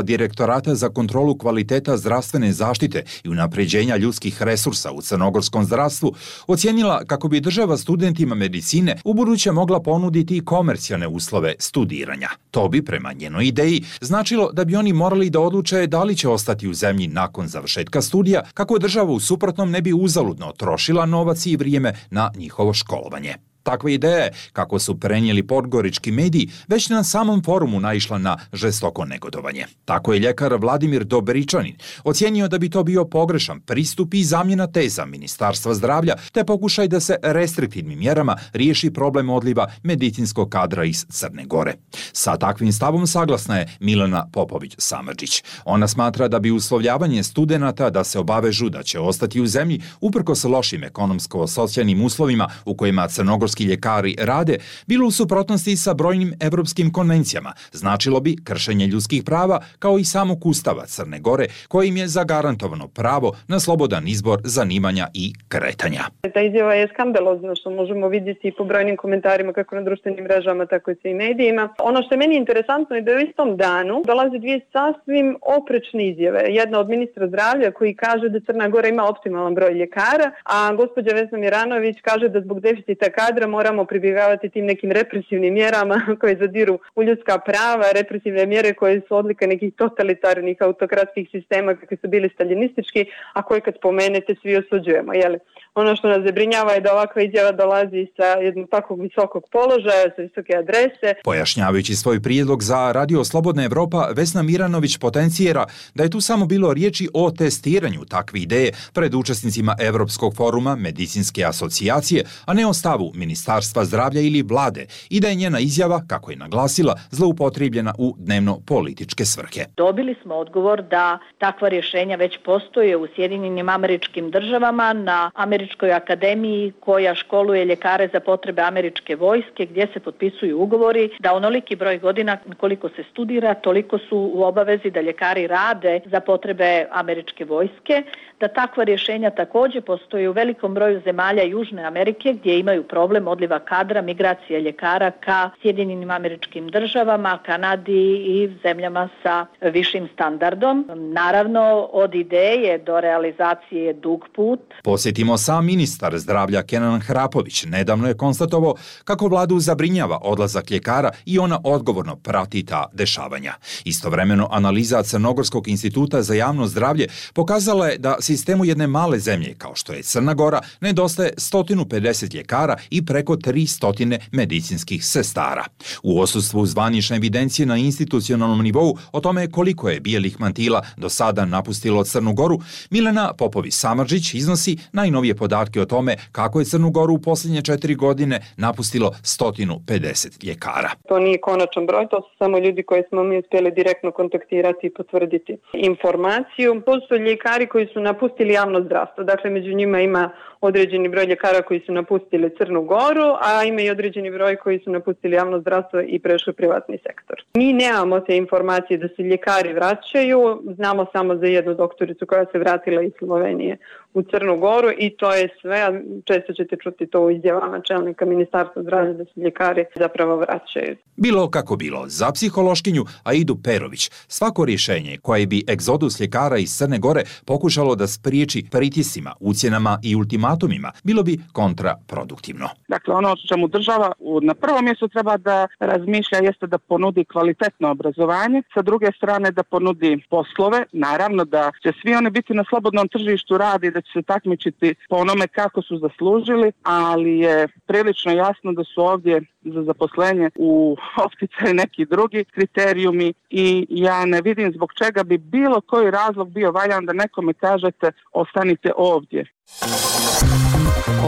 Direktorata za kontrolu kvaliteta zdravstvene zaštite i unapređenja ljudskih resursa u crnogorskom zdravstvu ocijenila kako bi država studentima medicine ubuduće mogla ponuditi komercijalne uslove studiranja. To bi, prema njenoj ideji, značilo da bi oni morali da odluče da li će ostati u zemlji nakon završetka studija, kako država u suprotnom ne bi uzaludno trošila novac i vrijeme na njihovo školovanje. Takva ideja je, kako su prenijeli podgorički mediji, već na samom forumu naišla na žestoko negodovanje. Tako je ljekar Vladimir Dobričanin ocijenio da bi to bio pogrešan pristup i zamjena teza Ministarstva zdravlja, te pokušaj da se restriktivnim mjerama riješi problem odliva medicinskog kadra iz Crne Gore. Sa takvim stavom saglasna je Milana Popović-Samardžić. Ona smatra da bi uslovljavanje studenata da se obavežu da će ostati u zemlji uprkos lošim ekonomsko-socijalnim uslovima u kojima crnogorski ljekari rade, bilo u suprotnosti sa brojnim evropskim konvencijama. Značilo bi kršenje ljudskih prava kao i samog Ustava Crne Gore, kojim je zagarantovano pravo na slobodan izbor zanimanja i kretanja. Ta izjava je skandalozna, što možemo vidjeti i po brojnim komentarima kako na društvenim mrežama, tako i u medijima. Ono što je meni interesantno je da u istom danu dolaze dvije sasvim oprečne izjave. Jedna od ministra zdravlja koji kaže da Crna Gora ima optimalan broj ljekara, a gospođa Vesna Miranović kaže da zbog deficita kadra moramo pribjegavati tim nekim represivnim mjerama koje zadiru u ljudska prava, represivne mjere koje su odlika nekih totalitarnih autokratskih sistema kakvi su bili staljinistički, a koje kad spomenete svi osuđujemo. Jeli? Ono što nas zabrinjava je da ovakva izjava dolazi sa jednog takvog visokog položaja, sa visoke adrese. Pojašnjavajući svoj prijedlog za Radio Slobodna Evropa, Vesna Miranović potencijera da je tu samo bilo riječi o testiranju takve ideje pred učesnicima Evropskog foruma medicinske asocijacije, a ne o stavu Ministarstva zdravlja ili vlade, i da je njena izjava, kako je naglasila, zloupotrijebljena u dnevno-političke svrhe. Dobili smo odgovor da takva rješenja već postoje u Sjedinjenim Američkim Državama na Američkoj akademiji koja školuje ljekare za potrebe američke vojske, gdje se potpisuju ugovori da onoliki broj godina koliko se studira, toliko su u obavezi da ljekari rade za potrebe američke vojske, da takva rješenja također postoje u velikom broju zemalja Južne Amerike gdje imaju problem odliva kadra, migracije ljekara ka Sjedinjenim Američkim Državama, Kanadi i zemljama sa višim standardom. Naravno, od ideje do realizacije je dug put. Posjetimo sam ministar zdravlja Kenan Hrapović nedavno je konstatovao kako vladu zabrinjava odlazak ljekara i ona odgovorno prati ta dešavanja. Istovremeno, analiza Crnogorskog instituta za javno zdravlje pokazala je da sistemu jedne male zemlje, kao što je Crna Gora, nedostaje sto pedeset ljekara i preko tristo medicinskih sestara. U odsustvu zvanične evidencije na institucionalnom nivou o tome koliko je bijelih mantila do sada napustilo Crnu Goru, Milana Popović-Samardžić iznosi najnovije podatke o tome kako je Crnu Goru u posljednje četiri godine napustilo sto pedeset ljekara. To nije konačan broj, to su samo ljudi koji smo mi uspjeli direktno kontaktirati i potvrditi informaciju. To su ljekari koji su napustili javno zdravstvo, dakle među njima ima određeni broj ljekara koji su napustili Crnu Goru, a ima i određeni broj koji su napustili javno zdravstvo i prešli privatni sektor. Mi nemamo te informacije da se ljekari vraćaju, znamo samo za jednu doktoricu koja se vratila iz Slovenije u Crnu Goru i to je sve, a često ćete čuti to u izjavama čelnika Ministarstva zdravlja da se ljekari zapravo vraćaju. Bilo kako bilo, za psihološkinju Aidu Perović, svako rješenje koje bi egzodus ljekara iz Crne Gore pokušalo da spriječi pritiscima, ucjenama i ultimatumima, bilo bi kontraproduktivno. Dakle, ono što čemu država na prvom mjestu treba da razmišlja jeste da ponudi kvalitetno obrazovanje, sa druge strane da ponudi poslove, naravno da će svi oni biti na slobodnom tržištu rada i da će se takmičiti po onome kako su zaslužili, ali je prilično jasno da su ovdje za zaposlenje u opticaju neki drugi kriterijumi i ja ne vidim zbog čega bi bilo koji razlog bio valjan da nekome kažete ostanite ovdje.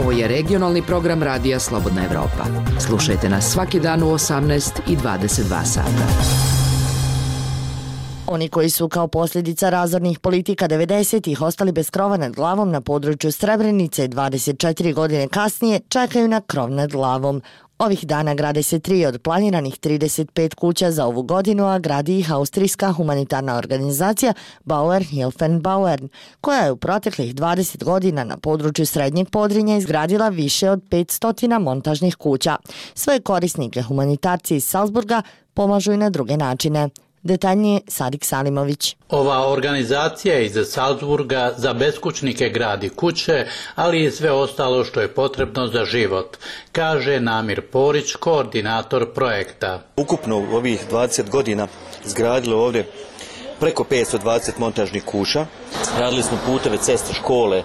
Ovo je regionalni program Radija Slobodna Evropa. Slušajte nas svaki dan u osamnaest i dvadeset dva sata. Oni koji su kao posljedica razornih politika devedesetih ostali bez krova nad glavom na području Srebrenice dvadeset četiri godine kasnije čekaju na krov nad glavom. Ovih dana grade se tri od planiranih trideset pet kuća za ovu godinu, a gradi ih austrijska humanitarna organizacija Bauer Hilfen Bauern, koja je u proteklih dvadeset godina na području Srednjeg Podrinja izgradila više od petsto montažnih kuća. Svoje korisnike humanitarci iz Salzburga pomažu i na druge načine. Detaljnije Sadik Salimović. Ova organizacija iz Salzburga za beskućnike gradi kuće, ali i sve ostalo što je potrebno za život, kaže Namir Porić, koordinator projekta. Ukupno u ovih dvadeset godina izgradilo ovdje preko petsto dvadeset montažnih kuća. Radili smo puteve, ceste, škole,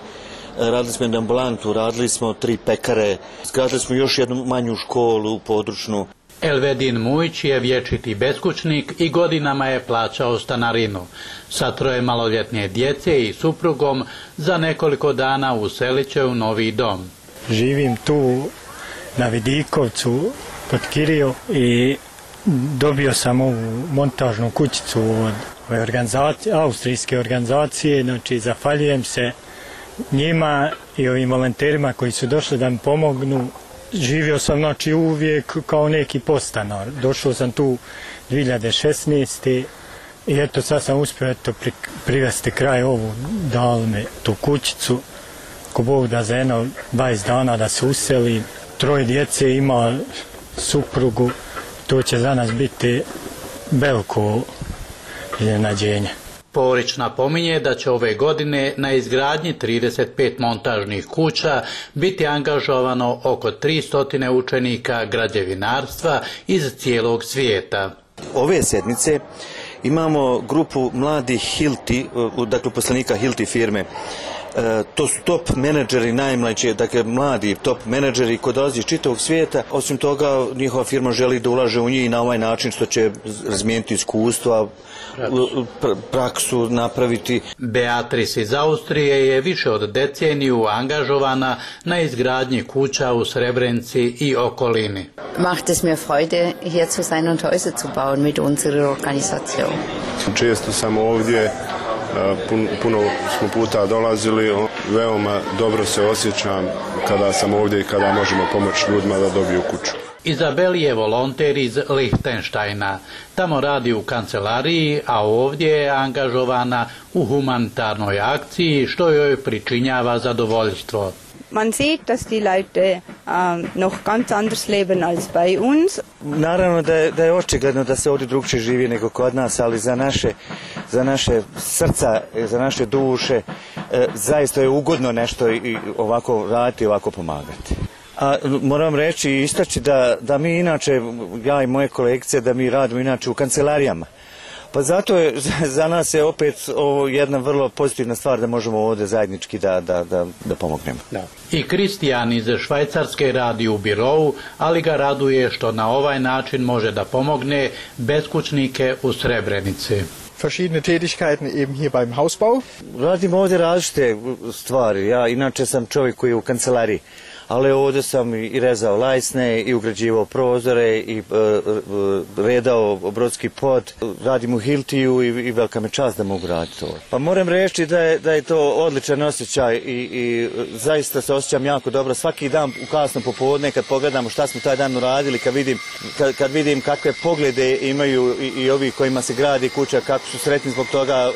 radili smo jednu ambulantu, radili smo tri pekare, izgradili smo još jednu manju školu područnu. Elvedin Mujić je vječiti beskućnik i godinama je plaćao stanarinu. Sa troje maloljetne djece i suprugom za nekoliko dana uselit će u novi dom. Živim tu na Vidikovcu pod Kirio i dobio sam ovu montažnu kućicu od ove organizacije, austrijske organizacije, znači zahvaljujem se njima i ovim volonterima koji su došli da mi pomognu. Živio sam znači uvijek kao neki podstanar. Došao sam tu dvije hiljade šesnaeste. i eto sad sam uspio eto pri, privesti kraj ovu, dali me tu kućicu, ko Bog da za jedno dvadeset dana da se useli. Troje djece, ima suprugu, to će za nas biti veliko iznenađenje. Porić napominje da će ove godine na izgradnji trideset pet montažnih kuća biti angažovano oko tristo učenika građevinarstva iz cijelog svijeta. Ove sedmice imamo grupu mladih Hilti, dakle poslanika Hilti firme. E, to su top menadžeri, najmlađi, dakle mladi top menadžeri koji dolazi iz čitavog svijeta. Osim toga, njihova firma želi da ulaže u njih na ovaj način što će razmijeniti iskustva, pr praksu napraviti. Beatrice iz Austrije je više od deceniju angažovana na izgradnji kuća u Srebrenici i okolini. Macht es mir Freude, hier zu sein und Häuser zu bauen mit unserer Organisation. Često sam ovdje, puno smo puta dolazili, veoma dobro se osjećam kada sam ovdje i kada možemo pomoći ljudima da dobiju kuću. Izabeli je volonter iz Lichtensteina. Tamo radi u kancelariji, a ovdje je angažovana u humanitarnoj akciji, što joj pričinjava zadovoljstvo. Man sieht, dass die Leute uh, noch ganz anders leben als bei uns. Naravno da je, da je očigledno da se ovdje drugčije živi nego kod nas, ali za naše, za naše srca, za naše duše, e, zaista je ugodno nešto i ovako raditi, ovako pomagati. A moram reći i istaći da, da mi inače, ja i moje kolegice, da mi radimo inače u kancelarijama. Pa zato je za nas je opet ovo jedna vrlo pozitivna stvar da možemo ovdje zajednički da, da, da, da pomognemo. Da. I Kristijan iz Švajcarske radi u birovu, ali ga raduje što na ovaj način može da pomogne beskućnike u Srebrenici. Verschiedene Tätigkeiten eben hier beim Hausbau. Radim ovdje različite stvari. Ja inače sam čovjek koji je u kancelariji. Ali ovdje sam i rezao lajsne, i ugrađivao prozore, i e, redao brodski pod. Radim u Hiltiju i, i velika me čast da mogu raditi to. Pa moram reći da je, da je to odličan osjećaj i, i zaista se osjećam jako dobro. Svaki dan u kasno popodne kad pogledamo šta smo taj dan uradili, kad vidim, kad, kad vidim kakve poglede imaju i, i ovi kojima se gradi kuća, kako su sretni zbog toga,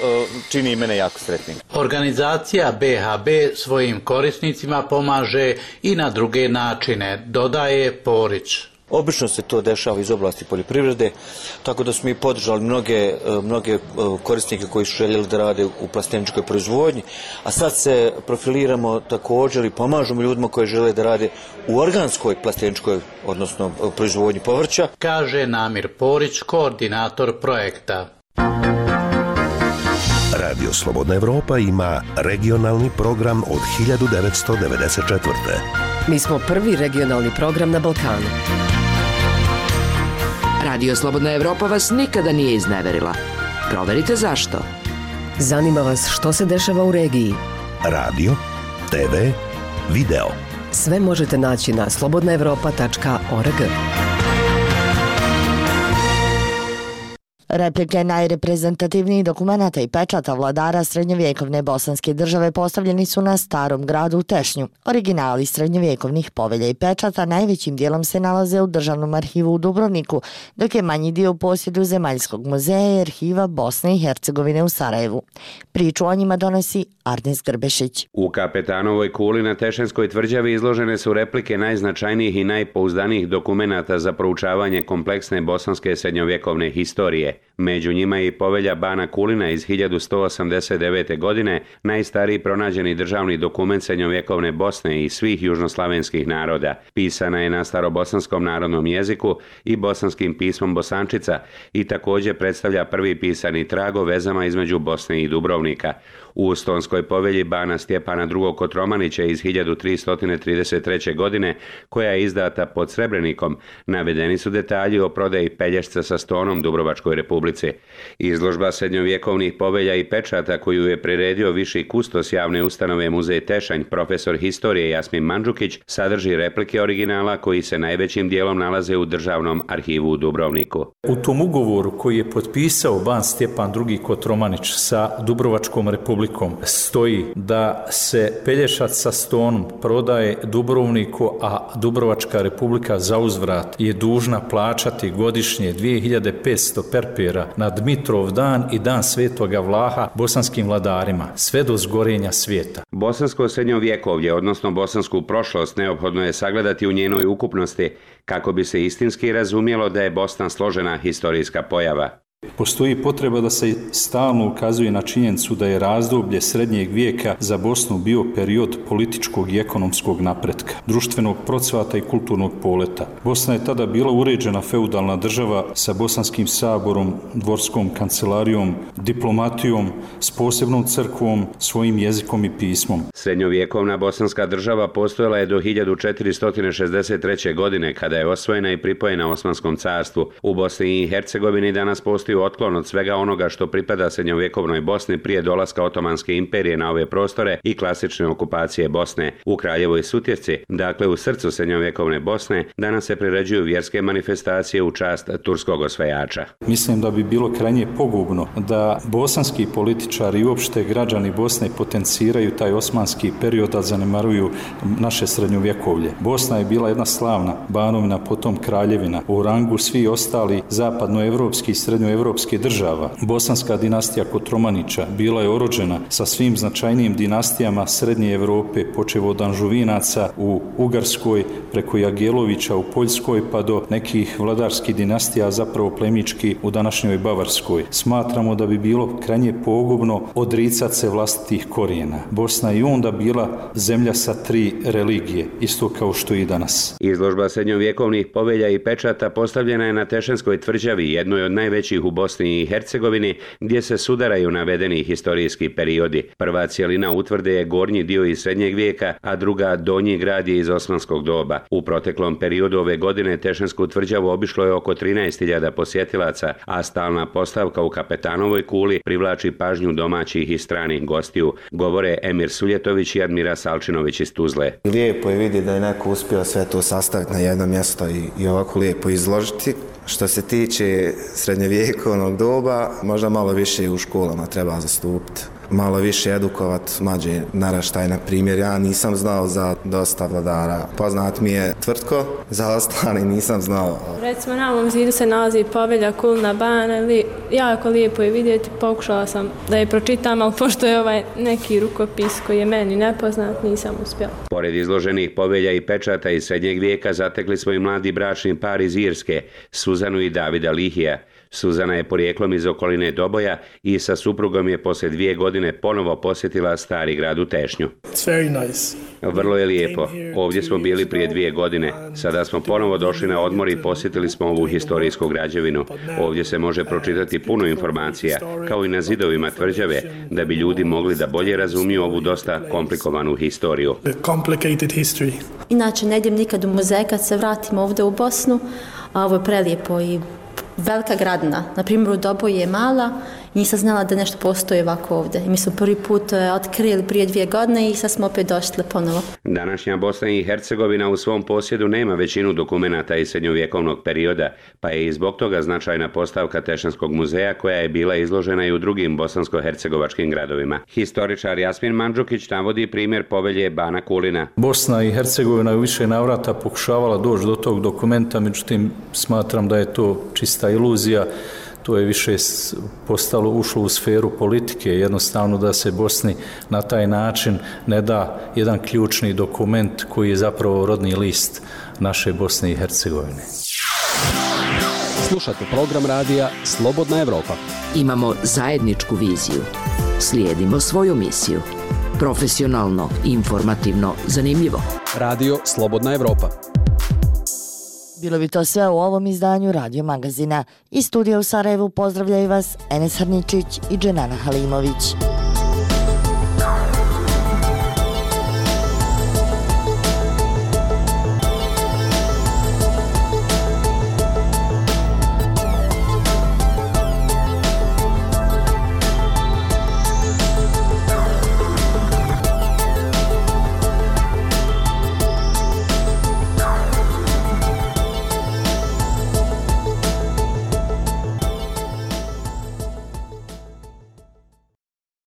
čini mene jako sretnim. Organizacija B H B svojim korisnicima pomaže i na na druge načine, dodaje Porić. Obično se to dešava iz oblasti poljoprivrede, tako da smo i podržali mnoge, mnoge korisnike koji su željeli da rade u plasteničkoj proizvodnji, a sad se profiliramo također i pomažemo ljudima koji žele da rade u organskoj plasteničkoj, odnosno proizvodnji povrća. Kaže Namir Porić, koordinator projekta. Radio Slobodna Evropa ima regionalni program od hiljadu devetsto devedeset četvrte. Mi smo prvi regionalni program na Balkanu. Radio Slobodna Evropa vas nikada nije izneverila. Proverite zašto. Zanima vas što se dešava u regiji. Radio, te ve, video. Sve možete naći na slobodna evropa tačka org. Replike najreprezentativnijih dokumenata i pečata vladara srednjovjekovne bosanske države postavljeni su na Starom gradu u Tešnju. Originali srednjovjekovnih povelja i pečata najvećim dijelom se nalaze u Državnom arhivu u Dubrovniku, dok je manji dio u posjedu Zemaljskog muzeja i arhiva Bosne i Hercegovine u Sarajevu. Priču o njima donosi Arnes Grbešić. U Kapetanovoj kuli na Tešenskoj tvrđavi izložene su replike najznačajnijih i najpouzdanijih dokumenata za proučavanje kompleksne bosanske srednjovjekovne historije. Među njima je i povelja Bana Kulina iz hiljadu sto osamdeset devete. godine, najstariji pronađeni državni dokument srednjovjekovne Bosne i svih južnoslavenskih naroda. Pisana je na starobosanskom narodnom jeziku i bosanskim pismom Bosančica i također predstavlja prvi pisani trag o vezama između Bosne i Dubrovnika. U Ustonskoj povelji Bana Stjepana drugog. Kotromanića iz hiljadu tristo trideset treće. godine, koja je izdata pod Srebrenikom, navedeni su detalji o prodaji pelješca sa stonom Dubrovačkoj republici. Izložba srednjovjekovnih povelja i pečata koju je priredio viši kustos javne ustanove Muzej Tešanj, profesor historije Jasmin Mandžukić, sadrži replike originala koji se najvećim dijelom nalaze u Državnom arhivu u Dubrovniku. U tom ugovoru koji je potpisao Ban Stjepan drugi. Kotromanić sa Dubrovačkom republikom stoji da se pelješac sa stonom prodaje Dubrovniku, a Dubrovačka republika zauzvrat je dužna plaćati godišnje dvije hiljade petsto perpera na Dmitrov dan i dan Svetoga Vlaha bosanskim vladarima, sve do zgorenja svijeta. Bosansko srednjovjekovlje, odnosno bosansku prošlost, neophodno je sagledati u njenoj ukupnosti kako bi se istinski razumjelo da je Bosna složena historijska pojava. Postoji potreba da se stalno ukazuje na činjenicu da je razdoblje srednjeg vijeka za Bosnu bio period političkog i ekonomskog napretka, društvenog procvata i kulturnog poleta. Bosna je tada bila uređena feudalna država sa bosanskim saborom, dvorskom kancelarijom, diplomatijom, s posebnom crkvom, svojim jezikom i pismom. Srednjovjekovna bosanska država postojala je do hiljadu četiristo šezdeset treće. godine, kada je osvojena i pripojena Osmanskom carstvu. U Bosni i Hercegovini danas postoji otklon od svega onoga što pripada srednjovjekovnoj Bosni prije dolaska Otomanske imperije na ove prostore i klasične okupacije Bosne. U Kraljevoj Sutjesci, dakle u srcu srednjovjekovne Bosne, danas se priređuju vjerske manifestacije u čast turskog osvajača. Mislim da bi bilo krajnje pogubno da bosanski političari i uopšte građani Bosne potenciraju taj osmanski period, a zanemaruju naše srednjovjekovlje. Bosna je bila jedna slavna banovina, potom kraljevina, u rangu svi ostali zapadnoevropski i srednjoevropski evropskih država. Bosanska dinastija Kotromanića bila je orođena sa svim značajnijim dinastijama Srednje Evrope, počev od Anžuvinaca u Ugarskoj, preko Jagelovića u Poljskoj, pa do nekih vladarskih dinastija, zapravo plemički u današnjoj Bavarskoj. Smatramo da bi bilo krajnje pogubno odricati se vlastitih korijena. Bosna je onda bila zemlja sa tri religije, isto kao što i danas. Izložba srednjovjekovnih povelja i pečata postavljena je na Tešenskoj tvrđavi, jednoj od najvećih u Bosni i Hercegovini, gdje se sudaraju navedeni historijski periodi. Prva cijelina utvrde je gornji dio iz srednjeg vijeka, a druga donji grad je iz osmanskog doba. U proteklom periodu ove godine Tešensku tvrđavu obišlo je oko trinaest hiljada posjetilaca, a stalna postavka u Kapetanovoj kuli privlači pažnju domaćih i stranih gostiju, govore Emir Suljetović i Admira Salčinović iz Tuzle. Lijepo je vidjeti da je neko uspio sve to sastaviti na jedno mjesto i, i ovako lijepo izložiti. Što se tiče srednjovjekovnog doba, možda malo više u školama treba zastupiti. Malo više edukovati mlađe naraštaje. Na primjer, ja nisam znao za dosta vladara. Poznat mi je Tvrtko, za ostali nisam znao. Recimo, na ovom zidu se nalazi povelja Kulna Bana. Li, jako lijepo je vidjeti. Pokušala sam da je pročitam, ali pošto je ovaj neki rukopis koji je meni nepoznat, nisam uspjela. Pored izloženih povelja i pečata iz srednjeg vijeka zatekli smo i mladi bračni par iz Irske, Suzanu i Davida Lihija. Suzana je porijeklom iz okoline Doboja i sa suprugom je poslije dvije godine ponovo posjetila stari grad u Tešnju. Vrlo je lijepo. Ovdje smo bili prije dvije godine. Sada smo ponovo došli na odmor i posjetili smo ovu historijsku građevinu. Ovdje se može pročitati puno informacija, kao i na zidovima tvrđave, da bi ljudi mogli da bolje razumiju ovu dosta komplikovanu historiju. Inače, ne idem nikad u muzej kad se vratim ovdje u Bosnu, a ovo je prelijepo i velika gradina. Na primjer, u Doboju je mala Nisam znala da nešto postoji ovako ovdje. I mi smo prvi put otkrili prije dvije godine i sad smo opet došli ponovo. Današnja Bosna i Hercegovina u svom posjedu nema većinu dokumenata iz srednjovjekovnog perioda, pa je i zbog toga značajna postavka Tešenskog muzeja koja je bila izložena i u drugim bosansko-hercegovačkim gradovima. Historičar Jasmin Mandžukić navodi primjer povelje Bana Kulina. Bosna i Hercegovina je u više navrata pokušavala doći do tog dokumenta, međutim smatram da je to čista iluzija. To je više postalo, ušlo u sferu politike, jednostavno da se Bosni na taj način ne da jedan ključni dokument koji je zapravo rodni list naše Bosne i Hercegovine. Slušate program radija Slobodna Evropa. Imamo zajedničku viziju. Slijedimo svoju misiju. Profesionalno, informativno, zanimljivo. Radio Slobodna Evropa. Bilo bi to sve u ovom izdanju Radio Magazina. Iz studija u Sarajevu pozdravljaju vas Enes Harničić i Dženana Halimović.